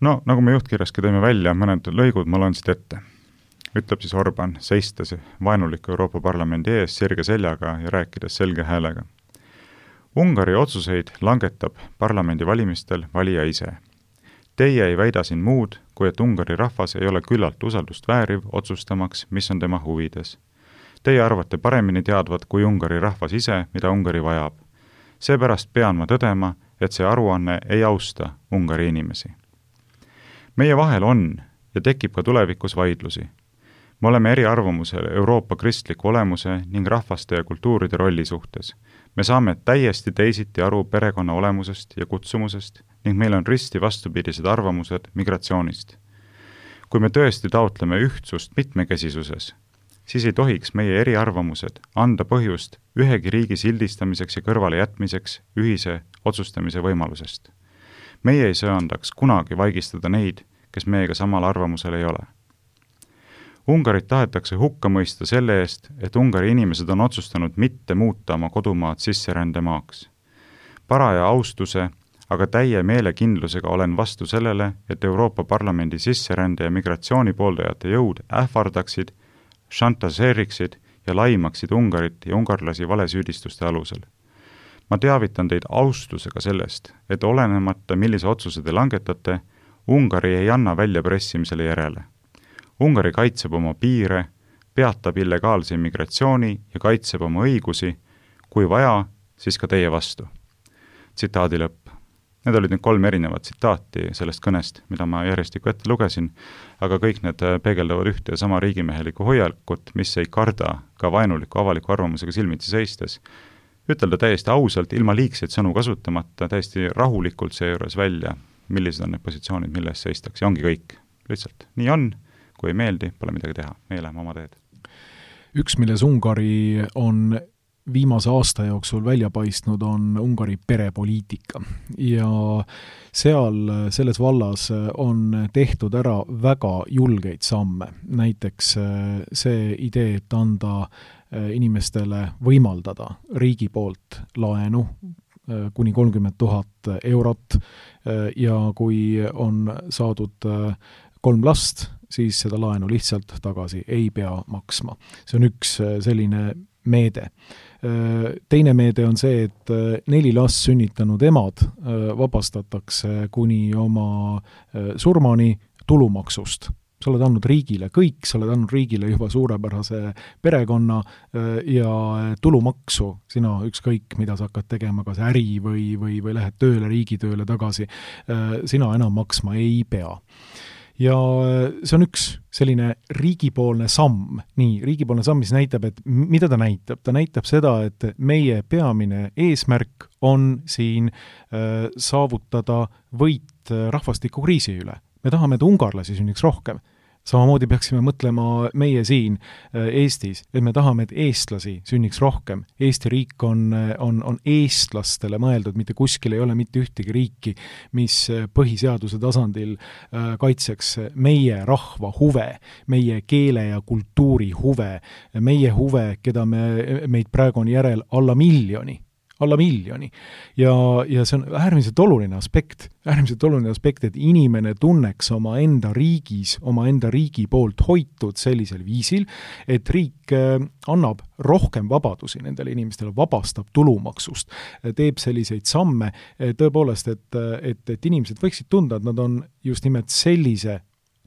No, nagu me juhtkirjaski tõime välja, mõned lõigud ma loen siit ette. ütleb siis Orban, seistes vaenuliku Euroopa Parlamendi ees sirge seljaga ja rääkides selge häälega. Ungari otsuseid langetab parlamendi valimistel valija ise. Teie ei väida siin muud, kui et Ungari rahvas ei ole küllalt usaldust vääriv otsustamaks, mis on tema huvides. Teie arvate paremini teadvat kui Ungari rahvas ise, mida Ungari vajab. Seepärast pean ma tõdema, et see aruanne ei austa Ungari inimesi. Meie vahel on ja tekib ka tulevikus vaidlusi. Me oleme eri arvamusel Euroopa kristliku olemuse ning rahvaste ja kultuuride rolli suhtes. Me saame täiesti teisiti aru perekonna olemusest ja kutsumusest ning meil on risti vastupidised arvamused migratsioonist. Kui me tõesti taotleme ühtsust mitmekesisuses, siis ei tohiks meie eriarvamused anda põhjust ühegi riigi sildistamiseks ja kõrvale jätmiseks ühise otsustamise võimalusest. Meie ei söandaks kunagi vaigistada neid, kes meiega samal arvamusel ei ole. Ungarit tahetakse hukka mõista selle eest, et Ungari inimesed on otsustanud mitte muuta oma kodumaad sisserändemaaks. Paraja austuse, aga täie meelekindlusega olen vastu sellele, et Euroopa Parlamendi sisserände ja migratsiooni pooldajate jõud ähvardaksid, šantaseeriksid ja laimaksid Ungarit ja ungarlasi valesüüdistuste alusel. Ma teavitan teid austusega sellest, et olenemata millise otsuse te langetate, Ungari ei anna välja pressimisele järele. Ungari kaitseb oma piire, peatab illegaalse immigratsiooni ja kaitseb oma õigusi, kui vaja, siis ka teie vastu. Tsitaadi lõpp. Need olid nüüd kolm erinevat tsitaati sellest kõnest, mida ma järjestikku ette lugesin, aga kõik need peegeldavad ühte ja sama riigimehelikku hoiakut, mis ei karda ka vaenuliku avaliku arvamusega silmitsi seistes. Ütelda täiesti ausalt, ilma liigseid sõnu kasutamata, täiesti rahulikult seejuures välja, millised on need positsioonid, milles seistaks, ja ongi kõik. Lihtsalt nii on, kui ei meeldi, pole midagi teha. Meie läheme oma teed. Üks, milles Ungari on viimase aasta jooksul välja paistnud, on Ungari perepoliitika. Ja seal, selles vallas on tehtud ära väga julgeid samme. Näiteks see idee, et anda inimestele võimaldada riigi poolt laenu kuni kolmkümmend tuhat eurot ja kui on saadud kolm last, siis seda laenu lihtsalt tagasi ei pea maksma. See on üks selline meede. Teine meede on see, et neli last sünnitanud emad vabastatakse kuni oma surmani tulumaksust. Sa oled andnud riigile kõik, sa oled andnud riigile juba suurepärase perekonna ja tulumaksu, sina ükskõik, mida sa hakkad tegema, kas äri või, või, või lähed tööle, riigitööle tagasi, sina enam maksma ei pea. Ja see on üks selline riigipoolne samm, nii, riigipoolne samm, mis näitab, et mida ta näitab? Ta näitab seda, et meie peamine eesmärk on siin äh, saavutada võit rahvastikukriisi üle. Me tahame, et ungarlasi sünniks rohkem. Samamoodi peaksime mõtlema meie siin Eestis, et me tahame, et eestlasi sünniks rohkem. Eesti riik on, on, on eestlastele mõeldud, mitte kuskil ei ole mitte ühtegi riiki, mis põhiseaduse tasandil kaitseks meie rahva huve, meie keele ja kultuuri huve, meie huve, keda me, meid praegu on järel alla miljoni. alla miljoni. Ja, ja see on äärmiselt oluline aspekt, äärmiselt oluline aspekt, et inimene tunneks oma enda riigis, oma enda riigi poolt hoitud sellisel viisil, et riik annab rohkem vabadusi nendele inimestele, vabastab tulumaksust, teeb selliseid samme, tõepoolest, et, et, et inimesed võiksid tunda, et nad on just nimelt sellise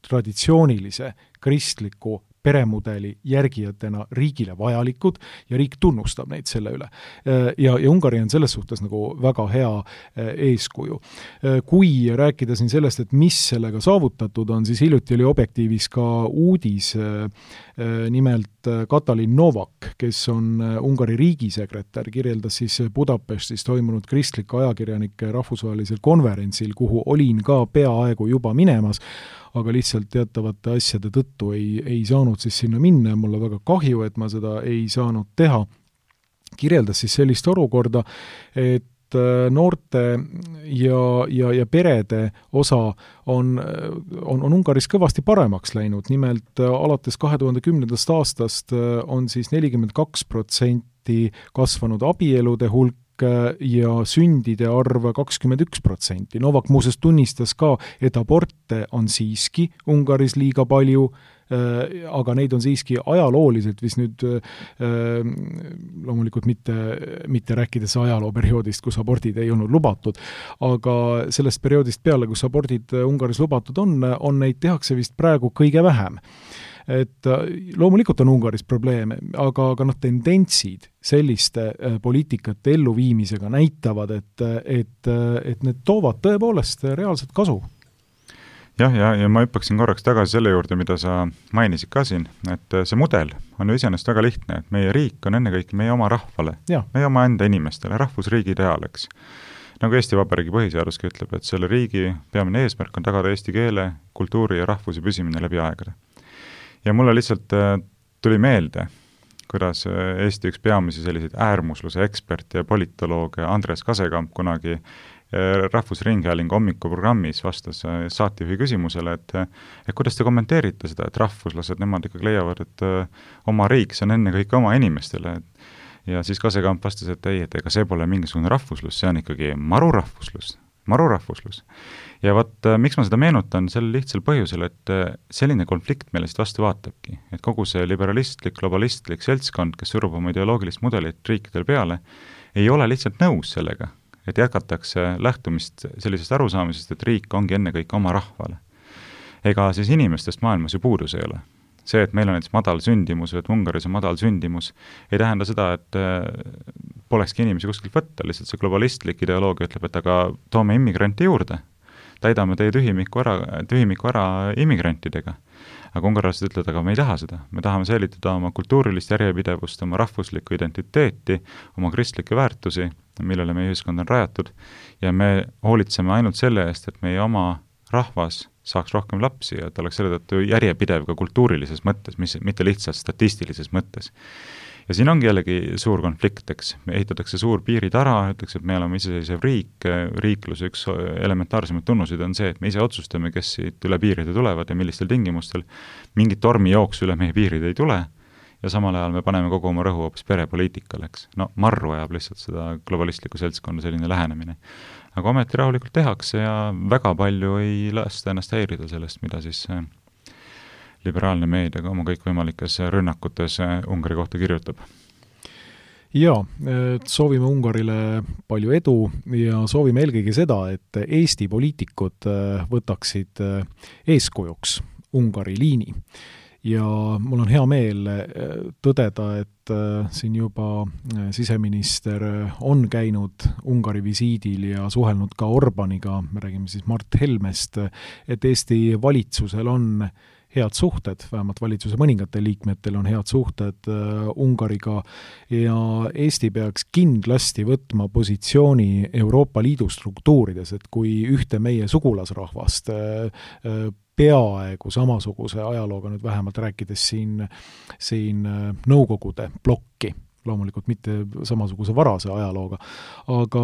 traditsioonilise kristliku peremudeli järgijatena riigile vajalikud ja riik tunnustab neid selle üle. Ja, ja Ungari on selles suhtes nagu väga hea eeskuju. Kui rääkida siin sellest, et mis sellega saavutatud on, siis hiljuti oli Objektiivis ka uudis, nimelt Katalin Novak, kes on Ungari riigisekretär, kirjeldas siis Budapestis toimunud kristlike ajakirjanike rahvusvahelisel konverentsil, kuhu olin ka peaaegu juba minemas, aga lihtsalt teatavate asjade tõttu ei, ei saanud siis sinna minna ja mulle väga kahju, et ma seda ei saanud teha. Kirjeldas siis sellist olukorda, et noorte ja, ja, ja perede osa on, on, on Ungaris kõvasti paremaks läinud. Nimelt alates kahe tuhande kümnendast aastast on siis nelikümmend kaks protsenti kasvanud abielude hulk ja sündide arv kakskümmend üks protsenti. Novak muuseas tunnistas ka, et aborte on siiski Ungaris liiga palju, aga neid on siiski ajalooliselt vist nüüd loomulikult mitte, mitte rääkides ajalooperioodist, kus abordid ei olnud lubatud, aga sellest perioodist peale, kus abordid Ungaris lubatud on, on neid tehakse vist praegu kõige vähem. Et loomulikult on Ungaris probleeme, aga, aga noh, tendentsid selliste poliitikate elluviimisega näitavad, et, et, et need toovad tõepoolest reaalset kasu. Jah, ja, ja ma hüppaksin korraks tagasi selle juurde, mida sa mainisid ka siin, et see mudel on ju iseenesest väga lihtne, et meie riik on ennekõike meie oma rahvale, ja. meie oma enda inimestele, rahvusriigi ideaal, eks. Nagu Eesti Vabariigi põhiseaduski ütleb, et selle riigi peamine eesmärk on tagada eesti keele, kultuuri ja rahvuse püsimine läbi aegade. Ja mulle lihtsalt tuli meelde, kuidas Eesti üks peamisi selliseid äärmusluse eksperti ja politolooge Andres Kasekamp kunagi Rahvusringhäälingu hommikuprogrammis vastas saatejuhi küsimusele, et, et kuidas te kommenteerite seda, et rahvuslased, nemad ikkagi leiavad, et oma riik, see on enne kõik oma inimestele. Ja siis Kasekamp vastas, et ei, et ega see pole mingisugune rahvuslus, see on ikkagi marurahvuslus, marurahvuslus. Ja vaat, miks ma seda meenutan, sel lihtsal põhjusel, et selline konflikt meile siit vastu vaatabki, et kogu see liberalistlik, globalistlik seltskond, kes surub oma ideoloogilist mudelit riikidel peale, ei ole lihtsalt nõus sellega, et jätkatakse lähtumist sellisest arusaamisest, et riik ongi enne kõik oma rahvale. Ega siis inimestest maailmas ju puudus ei ole. See, et meil on näiteks madal sündimus, et Ungaris on madal sündimus, ei tähenda seda, et polekski inimesi kuskilt võtta, lihtsalt see globalistlik ideoloogia ütleb, et aga toome immigranti juurde, täidame teie tühimiku ära, tühimiku ära immigrantidega. Aga ungarlased ütlevad, aga me ei taha seda. Me tahame säilitada oma kultuurilist järjepidevust, oma rahvuslikku identiteeti, oma kristlikke väärtusi, millele meie ühiskond on rajatud, ja me hoolitseme ainult selle eest, et meie oma rahvas saaks rohkem lapsi ja et oleks selle tõttu järjepidev ka kultuurilises mõttes, mis, mitte lihtsalt statistilises mõttes. Ja siin ongi jällegi suur konflikt, eks. Me ehitatakse suur piiritara, ütleks, et me oleme iseseisev riik, riikluse üks elementaarsemaid tunnusid on see, et me ise otsustame, kes siit üle piiride tulevad ja millistel tingimustel. Mingit tormi jooksu üle meie piirid ei tule ja samal ajal me paneme kogu oma rõhu hoopis perepoliitikale, eks. No marru ajab lihtsalt seda globalistlikku seltskonda selline lähenemine. Aga ometi rahulikult tehakse ja väga palju ei lasta ennast häirida sellest, mida siis liberaalne meedia oma kõikvõimalikes rünnakutes Ungari kohta kirjutab. Ja, soovime Ungarile palju edu ja soovime eelkõige seda, et Eesti poliitikud võtaksid eeskujuks Ungari liini. Ja mul on hea meel tõdeda, et siin juba siseminister on käinud Ungari visiidil ja suhelnud ka Orbaniga, me räägime siis Mart Helmest, et Eesti valitsusel on head suhted, vähemalt valitsuse mõningatel liikmetel on head suhted Ungariga ja Eesti peaks kindlasti võtma positsiooni Euroopa Liidu struktuurides, et kui ühte meie sugulasrahvast peaaegu samasuguse ajalooga nüüd vähemalt rääkides siin, siin nõukogude plokki, loomulikult mitte samasuguse varase ajalooga, aga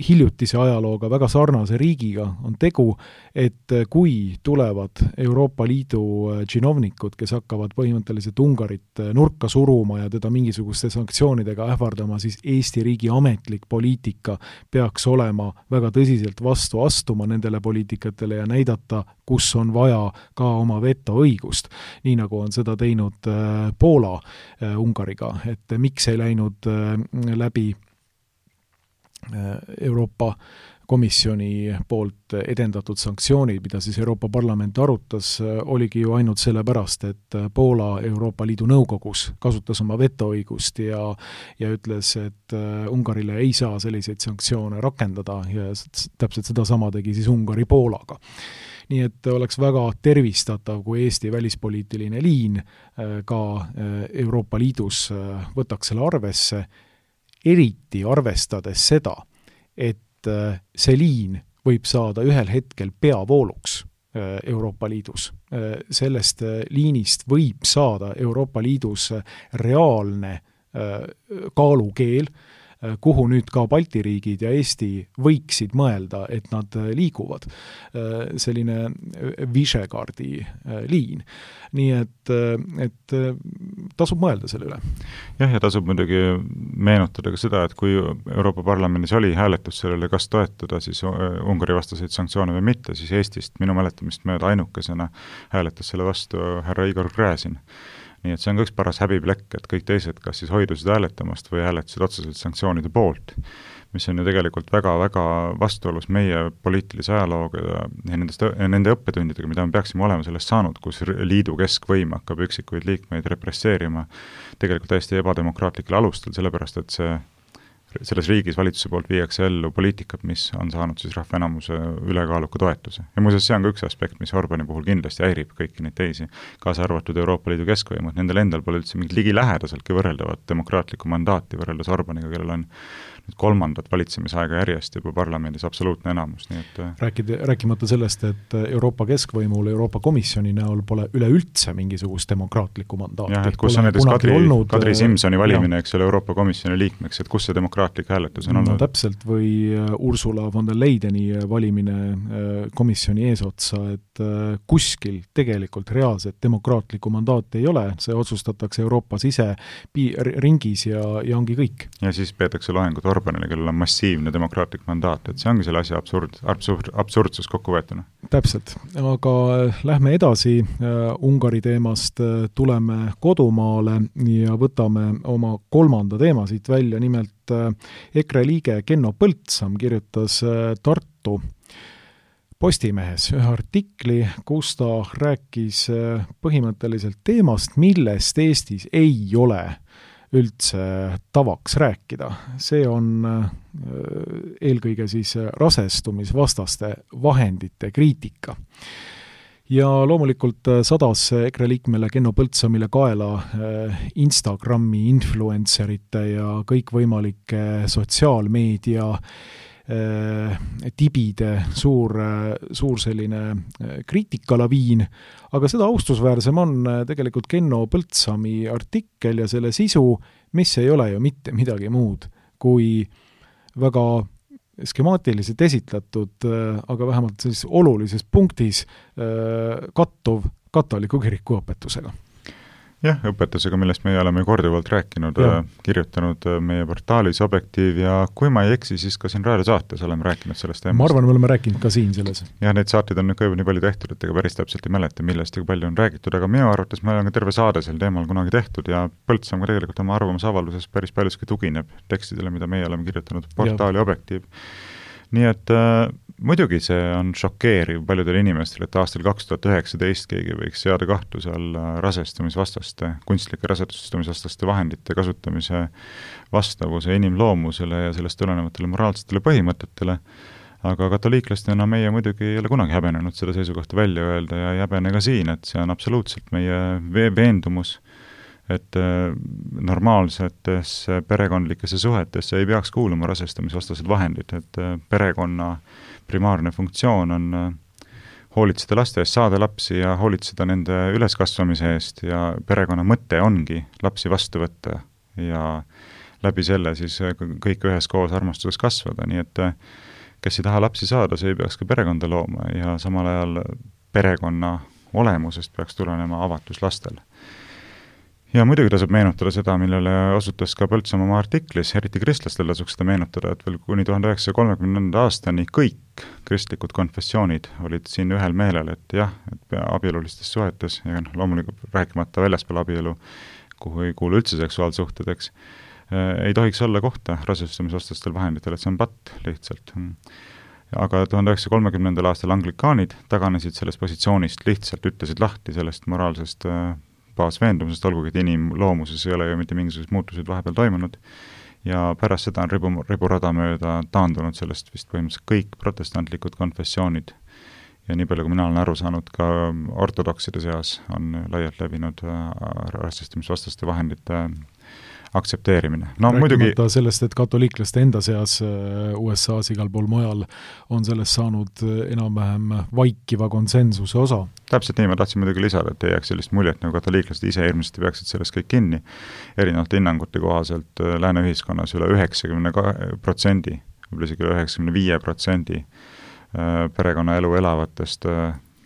hiljutise ajalooga väga sarnase riigiga on tegu, et kui tulevad Euroopa Liidu džinovnikud, kes hakkavad põhimõtteliselt Ungarit nurka suruma ja teda mingisuguste sanktsioonidega ähvardama, siis Eesti riigi ametlik poliitika peaks olema väga tõsiselt vastu astuma nendele poliitikatele ja näidata, kus on vaja ka oma vetoõigust, nii nagu on seda teinud Poola Ungariga, et miks ei läinud läbi Euroopa Komisjoni poolt edendatud sanktsioonid, mida siis Euroopa Parlament arutas, oligi ju ainult sellepärast, et Poola Euroopa Liidu nõukogus kasutas oma vetoõigust ja, ja ütles, et Ungarile ei saa selliseid sanktsioone rakendada ja täpselt seda sama tegi siis Ungari Poolaga. Nii et oleks väga tervistatav, kui Eesti välispoliitiline liin ka Euroopa Liidus võtaks selle arvesse, eriti arvestades seda, et see liin võib saada ühel hetkel peavooluks Euroopa Liidus. Sellest liinist võib saada Euroopa Liidus reaalne kaalukeel, kuhu nüüd ka Balti riigid ja Eesti võiksid mõelda, et nad liiguvad. Selline Visegradi liin. Nii et, et tasub mõelda selle üle. Jah, ja tasub muidugi meenutada ka seda, et kui Euroopa Parlamendis oli hääletus sellele, kas toetada siis Ungari vastaseid sanktsioone või mitte, siis Eestist minu mäletamist mööda ainukesena hääletas selle vastu härra Igor Gräzin. Nii et see on ka üks paras häbiplekk, et kõik teised kas siis hoidusid hääletamast või hääletasid otseselt sanktsioonide poolt, mis on ju tegelikult väga-väga vastuolus meie poliitilise ajalooga ja nendest, nende õppetundidega, mida me peaksime olema sellest saanud, kus liidu keskvõim hakkab üksikuid liikmeid represseerima tegelikult täiesti ebademokraatlikel alustel, sellepärast et see selles riigis valitsuse poolt viiakse ellu poliitikat, mis on saanud siis rahvaenamuse ülekaaluka toetuse. Ja muuseas, see on ka üks aspekt, mis Orbani puhul kindlasti häirib kõiki neid teisi, kaasa arvatud Euroopa Liidu keskvõimud. Nendel endal pole üldse mingit ligi lähedaseltki võrreldavat demokraatlikku mandaati võrreldes Orbaniga, kellel on nüüd kolmandat valitsemisaega järjest juba parlamendis absoluutne enamus. Nii et Rääkida, rääkimata sellest, et Euroopa keskvõimul Euroopa Komisjoni näol pole üleüldse mingisugust demokraatlikku mandaati. Jah, et kus on näiteks Kadri, olnud, Kadri Simsoni valimine, eks ole, Euroopa Komisjoni liikmeks, et kus see demokraatlik hääletus on olnud? No täpselt, või Ursula von der Leyeni valimine komisjoni eesotsa, et kuskil tegelikult reaalset demokraatlikku mandaati ei ole, see otsustatakse Euroopas ise pi- ringis ja, ja ongi kõik. Ja siis peetakse loengut Orbanile, kellel on massiivne demokraatlik mandaat, et see ongi selle asja absurd, absurd, absurdsus kokku võetuna. Täpselt, aga lähme edasi uh, Ungari teemast, uh, tuleme kodumaale ja võtame oma kolmanda teema siit välja, nimelt uh, EKRE liige Kenno Põltsam kirjutas uh, Tartu Postimehes ühe artikli, kus ta rääkis uh, põhimõtteliselt teemast, millest Eestis ei ole üldse tavaks rääkida. See on eelkõige siis rasestumisvastaste vahendite kriitika. Ja loomulikult sadas EKRE liikmele Kenno Põltsamile kaela Instagrami influencerite ja kõikvõimalike sotsiaalmeedia tibide suur, suur selline kriitikalaviin, aga seda austusväärsem on tegelikult Kenno Põltsami artikkel ja selle sisu, mis ei ole ju mitte midagi muud kui väga skemaatiliselt esitletud, aga vähemalt siis olulises punktis kattuv katoliku kiriku õpetusega. Jah, õpetusega, millest meie oleme korduvalt rääkinud, kirjutanud meie portaalis Objektiiv ja kui ma ei eksi, siis ka siin raadiosaates oleme rääkinud sellest teemast. Ma arvan, me oleme rääkinud ka siin selles. Ja neid saateid on nüüd ka juba nii palju tehtud, et ega päris täpselt ei mäleta, millest ja palju on räägitud, aga minu arvates meil on ka terve saade sel teemal kunagi tehtud ja Põltsam ka tegelikult oma arvamusavalduses päris paljuski tugineb tekstidele, mida meie oleme kirjutanud portaali ja. Objektiiv. Nii et äh, muidugi see on šokeeriv paljudele inimestele, et aastal kaks tuhat üheksateist keegi võiks seada kahtluse alla rasestumisvastaste, kunstlike rasestumisvastaste vahendite kasutamise vastavuse inimloomusele ja sellest tulenevatele moraalsetele põhimõtetele, aga katoliiklastena meie muidugi ei ole kunagi häbenenud seda seisukohta välja öelda ja ei häbene ka siin, et see on absoluutselt meie veendumus, et normaalsetes perekondlikesse suhetesse ei peaks kuuluma rasestumisvastased vahendid, et perekonna primaarne funktsioon on hoolitseda laste eest, saada lapsi ja hoolitseda nende üleskasvamise eest ja perekonna mõte ongi lapsi vastu võtta ja läbi selle siis kõik üheskoos armastuses kasvada, nii et kes ei taha lapsi saada, see ei peaks ka perekonda looma ja samal ajal perekonna olemusest peaks tulenema avatus lastel. Ja muidugi tasub meenutada seda, millele osutas ka Põltsam oma artiklis, eriti kristlastel tasuks seda meenutada, et veel kuni tuhande üheksasaja kolmekümnenda aastani kõik kristlikud konfessioonid olid siin ühel meelel, et jah, et abielulistes suhetes, ja loomulikult rääkimata väljaspool abielu, kuhu ei kuulu üldse seksuaalsuhted, eks, ei tohiks olla kohta rasestumisvastastel vahenditel, et see on patt lihtsalt. Aga tuhande üheksasaja kolmekümnendal aastal anglikaanid taganesid sellest positsioonist, lihtsalt ütlesid lahti sellest moraalsest baasveendumusest, olgugi, et inimloomuses ei ole ju mitte mingisugused muutused vahepeal toimunud ja pärast seda on ribu, riburada mööda taandunud sellest vist põhimõtteliselt kõik protestantlikud konfessioonid ja nii palju, kui mina olen aru saanud, ka ortodokside seas on laialt levinud rasestumisvastaste vahendite aktsepteerimine. No rääkimata muidugi sellest, et katoliiklaste enda seas U S A-s igal pool mujal on sellest saanud enam-vähem vaikiva konsensuse osa. Täpselt nii, ma tahtsin muidugi lisada, et ei jääks sellist muljet, nagu katoliiklased ise hirmsasti peaksid sellest kõik kinni. Erinevalt hinnangute kohaselt lääne ühiskonnas üle üheksakümne protsendi, võib-olla isegi üle üheksakümne viie protsendi perekonnaelu elavatest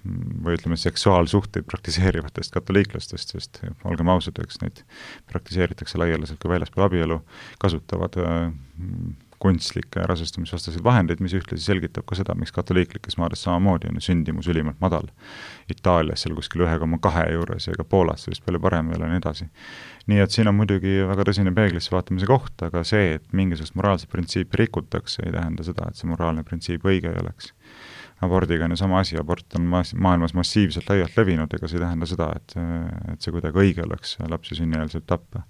või ütleme seksuaalsuhteid praktiseerivatest katoliiklastest, sest olgem ausad, eks neid praktiseeritakse laialiselt ka väljaspool abielu, kasutavad kunstlikke rasestumisvastaseid vahendeid, mis ühtlasi selgitab ka seda, miks katoliiklikes maades samamoodi on sündimus ülimalt madal. Itaalias seal kuskil ühe koma kahe juures ja ka Poolas vist palju parem veel ja nii edasi. Nii et siin on muidugi väga tõsine peeglisse vaatamise koht, aga see, et mingisugust moraalset printsiipi rikutakse, ei tähenda seda, et see moraalne printsiip õige ei oleks. Abordiga on ju sama asi, abort on ma- maailmas massiivselt laialt levinud, ega see ei tähenda seda, et, et see kuidagi õige oleks lapsi sünnieelselt tappa.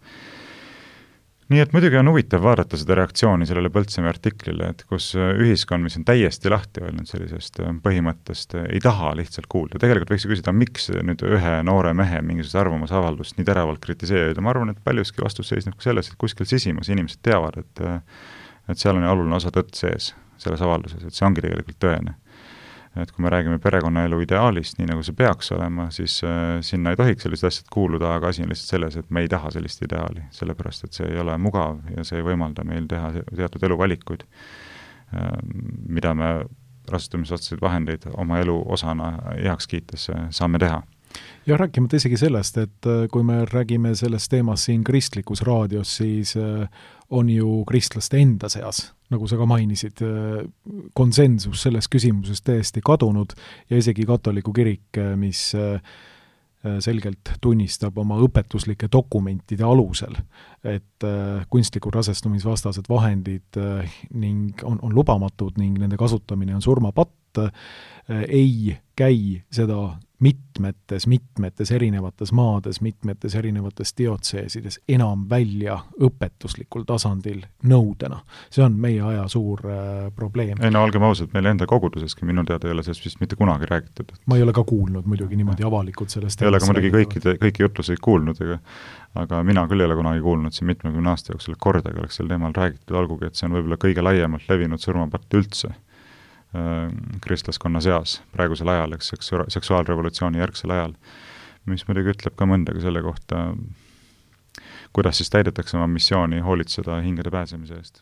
Nii et muidugi on huvitav vaadata seda reaktsiooni sellele Põltsamäe artiklile, et kus ühiskond, mis on täiesti lahti öelnud sellisest põhimõttest, ei taha lihtsalt kuulda. Tegelikult võiks küsida, miks nüüd ühe noore mehe mingisugust arvamusavaldust nii teravalt kritiseerida. Ma arvan, et paljuski vastus seisneb ka selles, et kuskil sisimas inimesed teavad, et, et seal on oluline osa tõtt sees selles avalduses, et see ongi tegelikult tõene. Et kui me räägime perekonnaelu ideaalist, nii nagu see peaks olema, siis äh, sinna ei tohiks sellised asjad kuuluda, aga asi on lihtsalt selles, et me ei taha sellist ideaali, sellepärast et see ei ole mugav ja see ei võimalda meil teha teatud eluvalikuid, äh, mida me rasestumisvastaseid vahendeid oma elu osana heaks kiites saame teha. Ja rääkimata isegi sellest, et kui me räägime sellest teemast siin kristlikus raadios, siis on ju kristlaste enda seas, nagu sa ka mainisid, konsensus selles küsimuses täiesti kadunud ja isegi katoliku kirik, mis selgelt tunnistab oma õpetuslike dokumentide alusel, et kunstliku rasestumisvastased vahendid ning on, on lubamatud ning nende kasutamine on surmapatt, ei käi seda mitmetes, mitmetes erinevates maades, mitmetes erinevates diotseesides enam välja õpetuslikul tasandil nõudena. See on meie aja suur äh, probleem. Ei no olgem ausad, meil enda koguduseski minu teada ei ole sellest vist mitte kunagi räägitud. Ma ei ole ka kuulnud muidugi niimoodi avalikult sellest. Ei ole ka muidugi kõiki, kõiki jutluseid kuulnud, ega, aga mina küll ei ole kunagi kuulnud siin mitmekümne aasta jooksul, et kordagi oleks sel teemal räägitud, olgugi, et see on võib-olla kõige laiemalt levinud surmapatt üldse kristlaskonna seas praegusel ajal, eks seksuaalrevolutsiooni järgsel ajal, mis muidugi ütleb ka mõndagi selle kohta, kuidas siis täidetakse oma missiooni hoolitseda hingede pääsemise eest.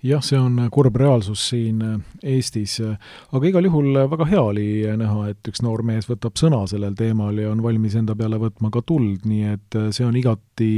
Jah, see on kurb reaalsus siin Eestis, aga igal juhul väga hea oli näha, et üks noor mees võtab sõna sellel teemal ja on valmis enda peale võtma ka tuld, nii et see on igati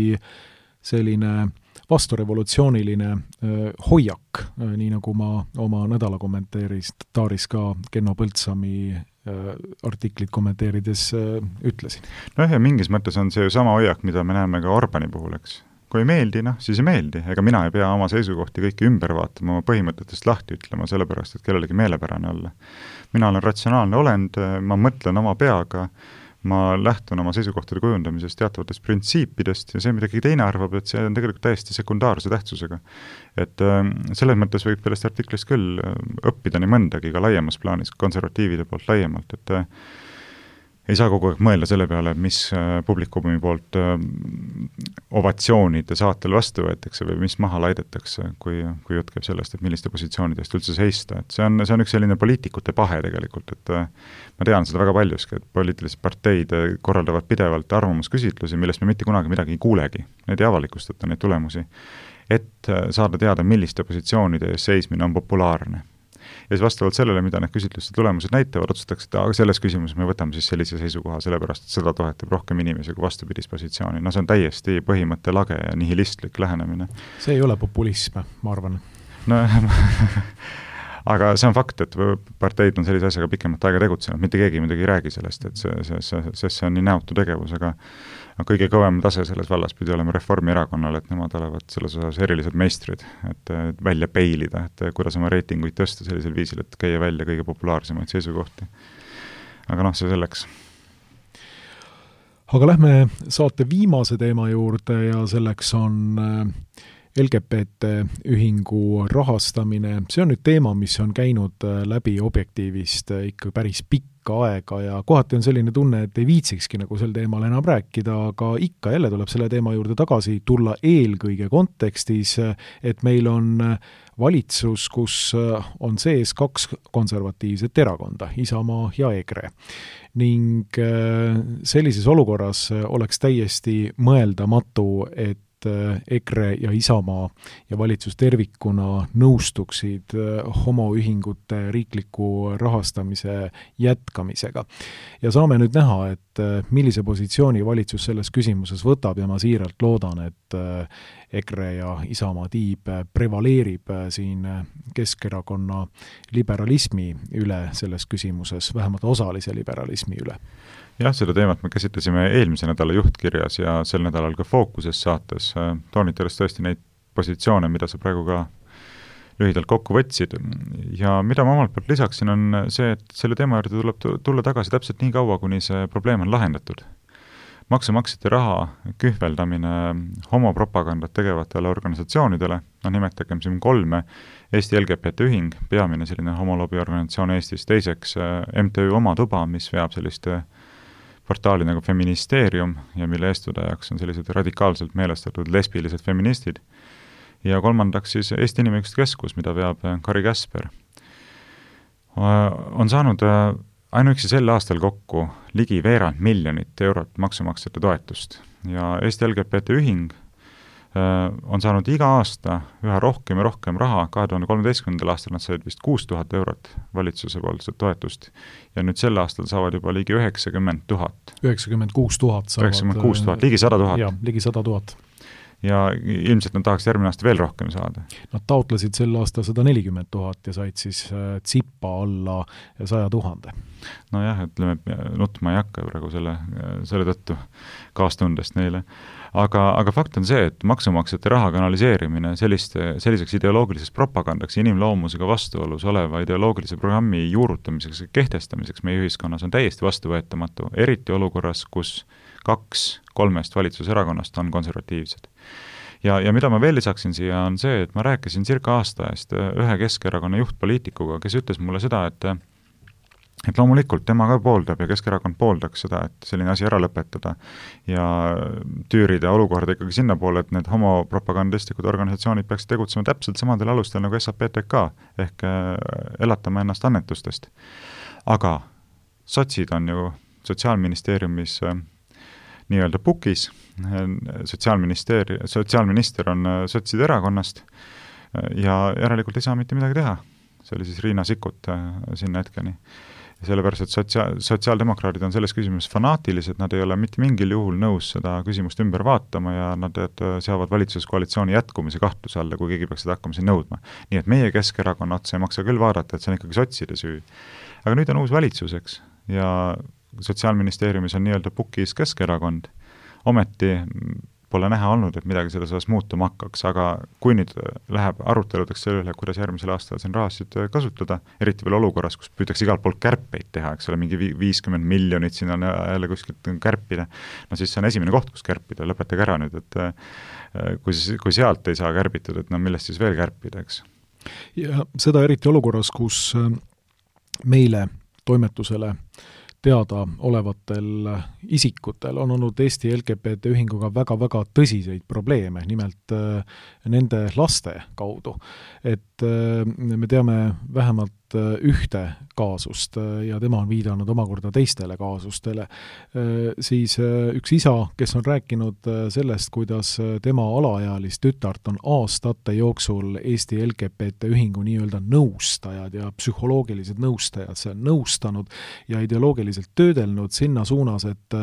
selline vasturevolutsiooniline äh, hoiak, äh, nii nagu ma oma nädala kommenteeris taaris ka Kenno Põltsami äh, artiklit kommenteerides äh, ütlesin. No ja mingis mõttes on see ju sama hoiak, mida me näeme ka Orbani puhul, eks. Kui ei meeldi, noh, siis ei meeldi. Ega mina ei pea oma seisukohti kõiki ümber vaatama, oma põhimõtetest lahti ütlema, sellepärast, et kellelegi meelepärane olla. Mina olen ratsionaalne olend, ma mõtlen oma peaga, ma lähtun oma seisukohtade kujundamisest teatavatest printsiipidest ja see, mida keegi teine arvab, et see on tegelikult täiesti sekundaarse tähtsusega. Et äh, selles mõttes võib sellest artiklist küll õppida nii mõndagi ka laiemas plaanis, konservatiivide poolt laiemalt, et äh, ei saa kogu aeg mõelda selle peale, mis äh, publikumi poolt äh, ovatsioonide saatel vastu võetakse või mis maha laidetakse, kui, kui jutt käib sellest, et milliste positsioonidest üldse seista. Et see on, see on üks selline poliitikute pahe tegelikult, et äh, ma tean seda väga paljuski, et poliitilised parteid korraldavad pidevalt arvamusküsitlusi, millest me mitte kunagi midagi ei kuulegi. Need ei avalikustata, neid tulemusi, et saada teada, milliste positsioonide ees seismine on populaarne. Ja siis vastavalt sellele, mida need küsitluste tulemused näitavad, otsustatakse, et aga selles küsimuses me võtame siis sellise seisukoha, sellepärast, et seda tohetab rohkem inimesi kui vastupidis positsiooni. No see on täiesti põhimõtte lage ja nihilistlik lähenemine. See ei ole populism, ma arvan. No aga see on fakt, et parteid on sellise asjaga pikemat aega tegutsenud, mitte keegi midagi ei räägi sellest, et see, see, see, see, see on nii näotu tegevus, aga kõige kõvem tase selles vallas pidi olema Reformierakonnal, et nemad olevat selles osas erilised meistrid, et välja peilida, et kuidas oma reitinguid tõsta sellisel viisil, et käia välja kõige populaarsemaid seisukohti. Aga noh, see selleks. Aga lähme saate viimase teema juurde ja selleks on L G B T ühingu rahastamine. See on nüüd teema, mis on käinud läbi Objektiivist ikka päris pikka pikka aega ja kohati on selline tunne, et ei viitsikski nagu sel teemal enam rääkida, aga ikka jälle tuleb selle teema juurde tagasi tulla eelkõige kontekstis, et meil on valitsus, kus on sees kaks konservatiivset erakonda, Isamaa ja EKRE. Ning sellises olukorras oleks täiesti mõeldamatu, et EKRE ja Isamaa ja valitsus tervikuna nõustuksid homoühingute riikliku rahastamise jätkamisega. Ja saame nüüd näha, et millise positsiooni valitsus selles küsimuses võtab ja ma siiralt loodan, et EKRE ja Isamaa tiib prevaleerib siin Keskerakonna liberalismi üle selles küsimuses, vähemalt osalise liberalismi üle. Jah, seda teemat me käsitlesime eelmise nädala juhtkirjas ja sel nädalal ka Fookuses saates, toonitades tõesti neid positsioone, mida sa praegu ka lühidalt kokku võtsid. Ja mida ma omalt poolt lisaksin, on see, et selle teema juurde tuleb tulla tagasi täpselt nii kaua, kuni see probleem on lahendatud. Maksumaksjate raha kühveldamine homopropagandat tegevatele organisatsioonidele, no nimetagem siin kolme, Eesti L G B T ühing, peamine selline homolobi organisatsioon Eestis, teiseks M T Ü Oma Tuba, mis veab selliste portaali nagu Feministeerium ja mille eestvedajaks on sellised radikaalselt meelestatud lesbilised feministid. Ja kolmandaks siis Eesti Inimõiguste Keskus, mida veab Kari Käsper. On saanud ainuüksi sel aastal kokku ligi veerand miljonit eurot maksumaksjate toetust ja Eesti L G B T ühing on saanud iga aasta üha rohkem ja rohkem raha, kahe tuhande kolmeteistkümnendal aastal nad said vist kuus tuhat eurot valitsuse poolt toetust ja nüüd sel aastal saavad juba ligi üheksakümmend tuhat. üheksakümmend kuus tuhat saavad. üheksakümmend kuus tuhat, ligi sada tuhat. Jah, ligi sada tuhat. Ja ilmselt nad tahaks järgmine aasta veel rohkem saada. Nad taotlesid sel aasta sada nelikümmend tuhat ja said siis tsippa alla saja tuhande. No jah, ütleme, nutma ei hakka praegu selle, selle tõttu kaastundest neile. Aga, aga fakt on see, et maksumaksjate raha kanaliseerimine selliste, selliseks ideoloogiliseks propagandaks ja inimloomusega vastuolus oleva ideoloogilise programmi juurutamiseks ja kehtestamiseks meie ühiskonnas on täiesti vastuvõetamatu, eriti olukorras, kus kaks kolmest valitsuserakonnast on konservatiivsed. Ja, ja mida ma veel lisaksin siia on see, et ma rääkisin circa aasta eest ühe Keskerakonna juhtpoliitikuga, kes ütles mulle seda, et et loomulikult tema ka pooldab ja Keskerakond pooldaks seda, et selline asi ära lõpetada ja tüürida olukorda ikkagi sinna poole, et need homopropagandistlikud organisatsioonid peaksid tegutsema täpselt samadel alustel nagu S A P T K ehk elatama ennast annetustest. Aga sotsid on ju Sotsiaalministeeriumis nii-öelda pukis, sotsiaalministeeri, sotsiaalminister on sotside erakonnast ja järelikult ei saa mitte midagi teha. See oli siis Riina Sikkut sinna hetkeni. Sellepärast, et sotsiaal, sotsiaaldemokraadid on selles küsimuses fanaatilised, nad ei ole mitte mingil juhul nõus seda küsimust ümber vaatama ja nad seavad valitsuskoalitsiooni jätkumise kahtluse alla, kui keegi peaks seda hakkama siin nõudma. Nii et meie Keskerakonna otsa ei maksa küll vaadata, et see on ikkagi sotside süü. Aga nüüd on uus valitsuseks ja Sotsiaalministeeriumis on nii-öelda pukis Keskerakond. Ometi pole näha olnud, et midagi selles osas muutuma hakkaks, aga kui nüüd läheb aruteludeks selle üle, kuidas järgmisel aastal siin rahasid kasutada, eriti veel olukorras, kus püütakse igalt poolt kärpeid teha, eks ole, mingi viiskümmend miljonit siin on jälle kuskilt kärpida, no siis see on esimene koht, kus kärpida, lõpetage ära nüüd, et kui, kui sealt ei saa kärbitud, et no millest siis veel kärpida, eks? Ja seda eriti olukorras, kus meile toimetusele teada olevatel isikutel on olnud Eesti L G B T ühinguga väga-väga tõsiseid probleeme, nimelt nende laste kaudu. Et me teame vähemalt ühte kaasust ja tema on viidanud omakorda teistele kaasustele, siis üks isa, kes on rääkinud sellest, kuidas tema alaealist tütart on aastate jooksul Eesti L G B T ühingu nii-öelda nõustajad ja psühholoogilised nõustajad see on nõustanud ja ideoloogiliselt töödelnud sinna suunas, et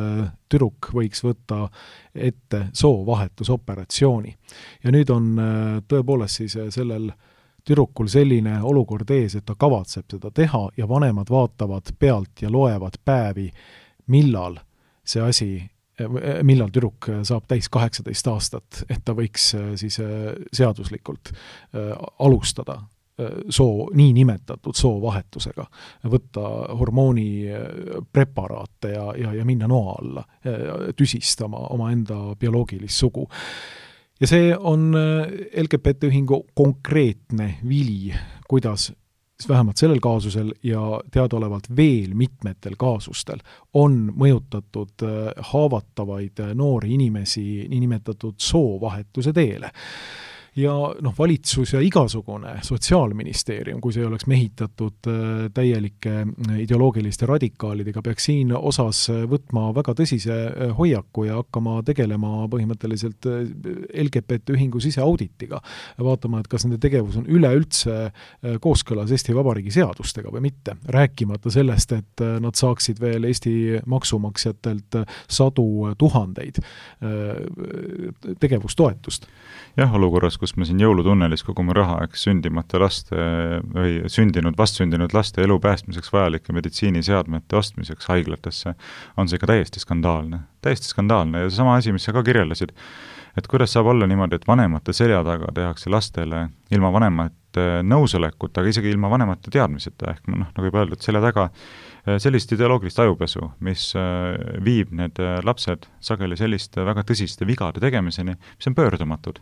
tüdruk võiks võtta ette soovahetusoperatsiooni. Ja nüüd on tõepoolest siis sellel tüdrukul selline olukord ees, et ta kavatseb seda teha ja vanemad vaatavad pealt ja loevad päevi, millal see asi, millal tüdruk saab täis kaheksateist aastat, et ta võiks siis seaduslikult alustada soo, nii nimetatud soovahetusega, võtta hormooni preparaate ja, ja, ja minna noa alla, tüsistama oma enda bioloogilist sugu. Ja see on L G B T ühingu konkreetne vili, kuidas vähemalt sellel kaasusel ja teadaolevalt veel mitmetel kaasustel on mõjutatud haavatavaid noori inimesi niinimetatud soovahetuse teele. Ja noh, valitsus ja igasugune sotsiaalministeerium, kui see oleks mehitatud täielike ideoloogiliste radikaalidega, peaks siin osas võtma väga tõsise hoiaku ja hakkama tegelema põhimõtteliselt L G B T ühingu siseauditiga. Vaatama, et kas nende tegevus on üleüldse kooskõlas Eesti Vabariigi seadustega või mitte. Rääkimata sellest, et nad saaksid veel Eesti maksumaksjatelt sadu tuhandeid tegevustoetust. Jah, olukorras, kus me siin jõulutunnelis kogume raha, eks sündimata laste või sündinud, vastsündinud laste elu päästmiseks vajalike meditsiiniseadmete ostmiseks haiglatesse, on see ka täiesti skandaalne. Täiesti skandaalne ja sama asi, mis sa ka kirjeldasid, et kuidas saab olla niimoodi, et vanemate selja taga tehakse lastele ilma vanemate nõusolekut, aga isegi ilma vanemate teadmiseta, ehk noh, nagu juba öeldud, selja taga sellist ideoloogilist ajupesu, mis viib need lapsed sageli selliste väga tõsiste vigade tegemiseni, mis on pöördumatud.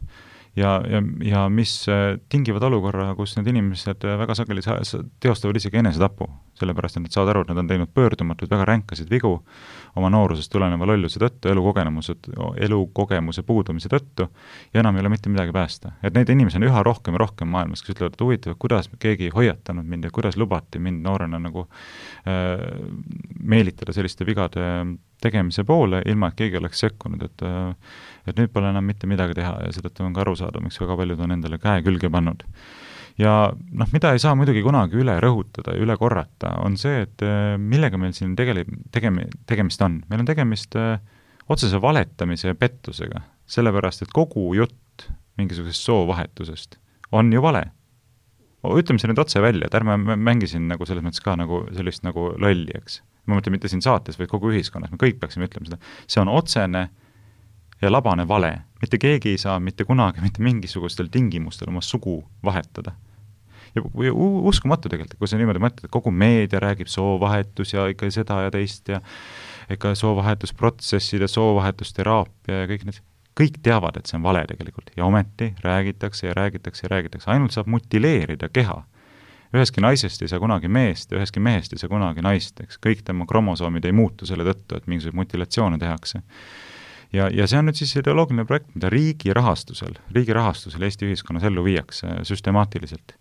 Ja, ja, ja mis tingivad olukorra, kus need inimesed väga sageli teostavad isegi enesetapu, sellepärast, et nad saavad aru, et nad on teinud pöördumatud väga ränkasid vigu oma noorusest tuleneva lolluse tõttu, elukogemuse, elukogemuse puudumise tõttu ja enam ei ole mitte midagi päästa. Et neid inimesi on üha rohkem ja rohkem maailmas, kes ütlevad, et huvitav, kuidas keegi hoiatanud mind ja kuidas lubati mind noorena nagu äh, meelitada selliste vigade tegemise poole, ilma et keegi oleks sekkunud, et, et nüüd pole enam mitte midagi teha ja seetõttu on ka aru saada, miks väga paljud on endale käe külge pannud. Ja noh, mida ei saa muidugi kunagi üle rõhutada ja üle korrata, on see, et millega meil siin tegele, tegemi, tegemist on. Meil on tegemist otsese valetamise ja pettusega, sellepärast, et kogu jutt mingisugusest soovahetusest on ju vale. Ütleme see nüüd otse välja, et ärme mängisin nagu selles mõttes ka nagu sellist nagu lolli, eks. Ma mõtlen mitte siin saates, vaid kogu ühiskonnas, me kõik peaksime ütlema seda. See on otsene ja labane vale. Mitte keegi ei saa mitte kunagi, mitte mingisugustel tingimustel oma sugu vahetada. Ja uskumatu tegelikult, kui sa niimoodi mõtled, et kogu meedia räägib soovahetus ja ikka seda ja teist ja ikka soovahetusprotsessid ja soovahetusteraapia ja kõik need, kõik teavad, et see on vale tegelikult. Ja ometi räägitakse ja räägitakse ja räägitakse. Ainult saab mutileerida keha. Üheski naisest ei saa kunagi meest ja üheski mehest ei saa kunagi naist, eks. Kõik tema kromosoomid ei muutu selle tõttu, et mingisuguseid mutilatsioone tehakse. Ja, ja see on nüüd siis ideoloogiline projekt, mida riigi rahastusel, riigi rahastusel Eesti ühiskonnas ellu viiakse süstemaatiliselt.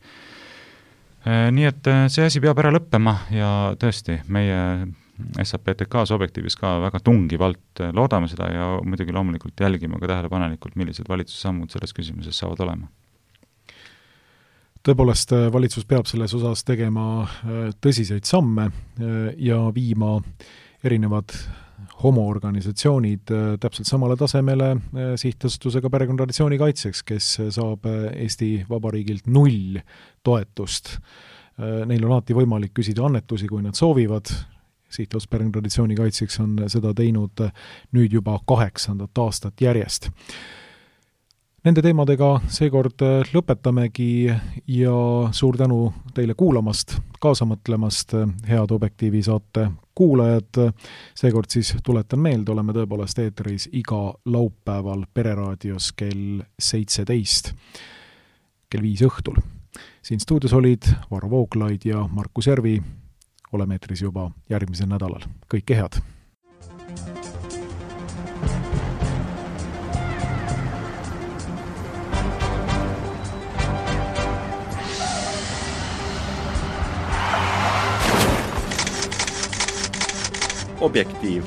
Nii et see asi peab ära lõppema ja tõesti, meie S A P T K-s objektiivis ka väga tungivalt loodame seda ja muidugi loomulikult jälgime ka tähelepanelikult, millised valitsuse sammud selles küsimuses saavad olema. Tõepoolest, valitsus peab selles osas tegema tõsiseid samme ja viima erinevad homoorganisatsioonid täpselt samale tasemele sihtasutusega perekonnatraditsiooni kaitseks, kes saab Eesti Vabariigilt null toetust. Neil on alati võimalik küsida annetusi, kui nad soovivad. Sihtasutus perekonnatraditsiooni kaitseks on seda teinud nüüd juba kaheksandat aastat järjest. Nende teemadega seekord lõpetamegi ja suur tänu teile kuulamast, kaasamõtlemast, head Objektiivi saate kuulajad. Seekord siis tuletan meelde, oleme tõepoolest eetris iga laupäeval Pereraadios kell seitseteist, kell viis õhtul. Siin stuudios olid Varro Vooglaid ja Markus Järvi. Oleme eetris juba järgmisel nädalal. Kõike head! Objektiiv.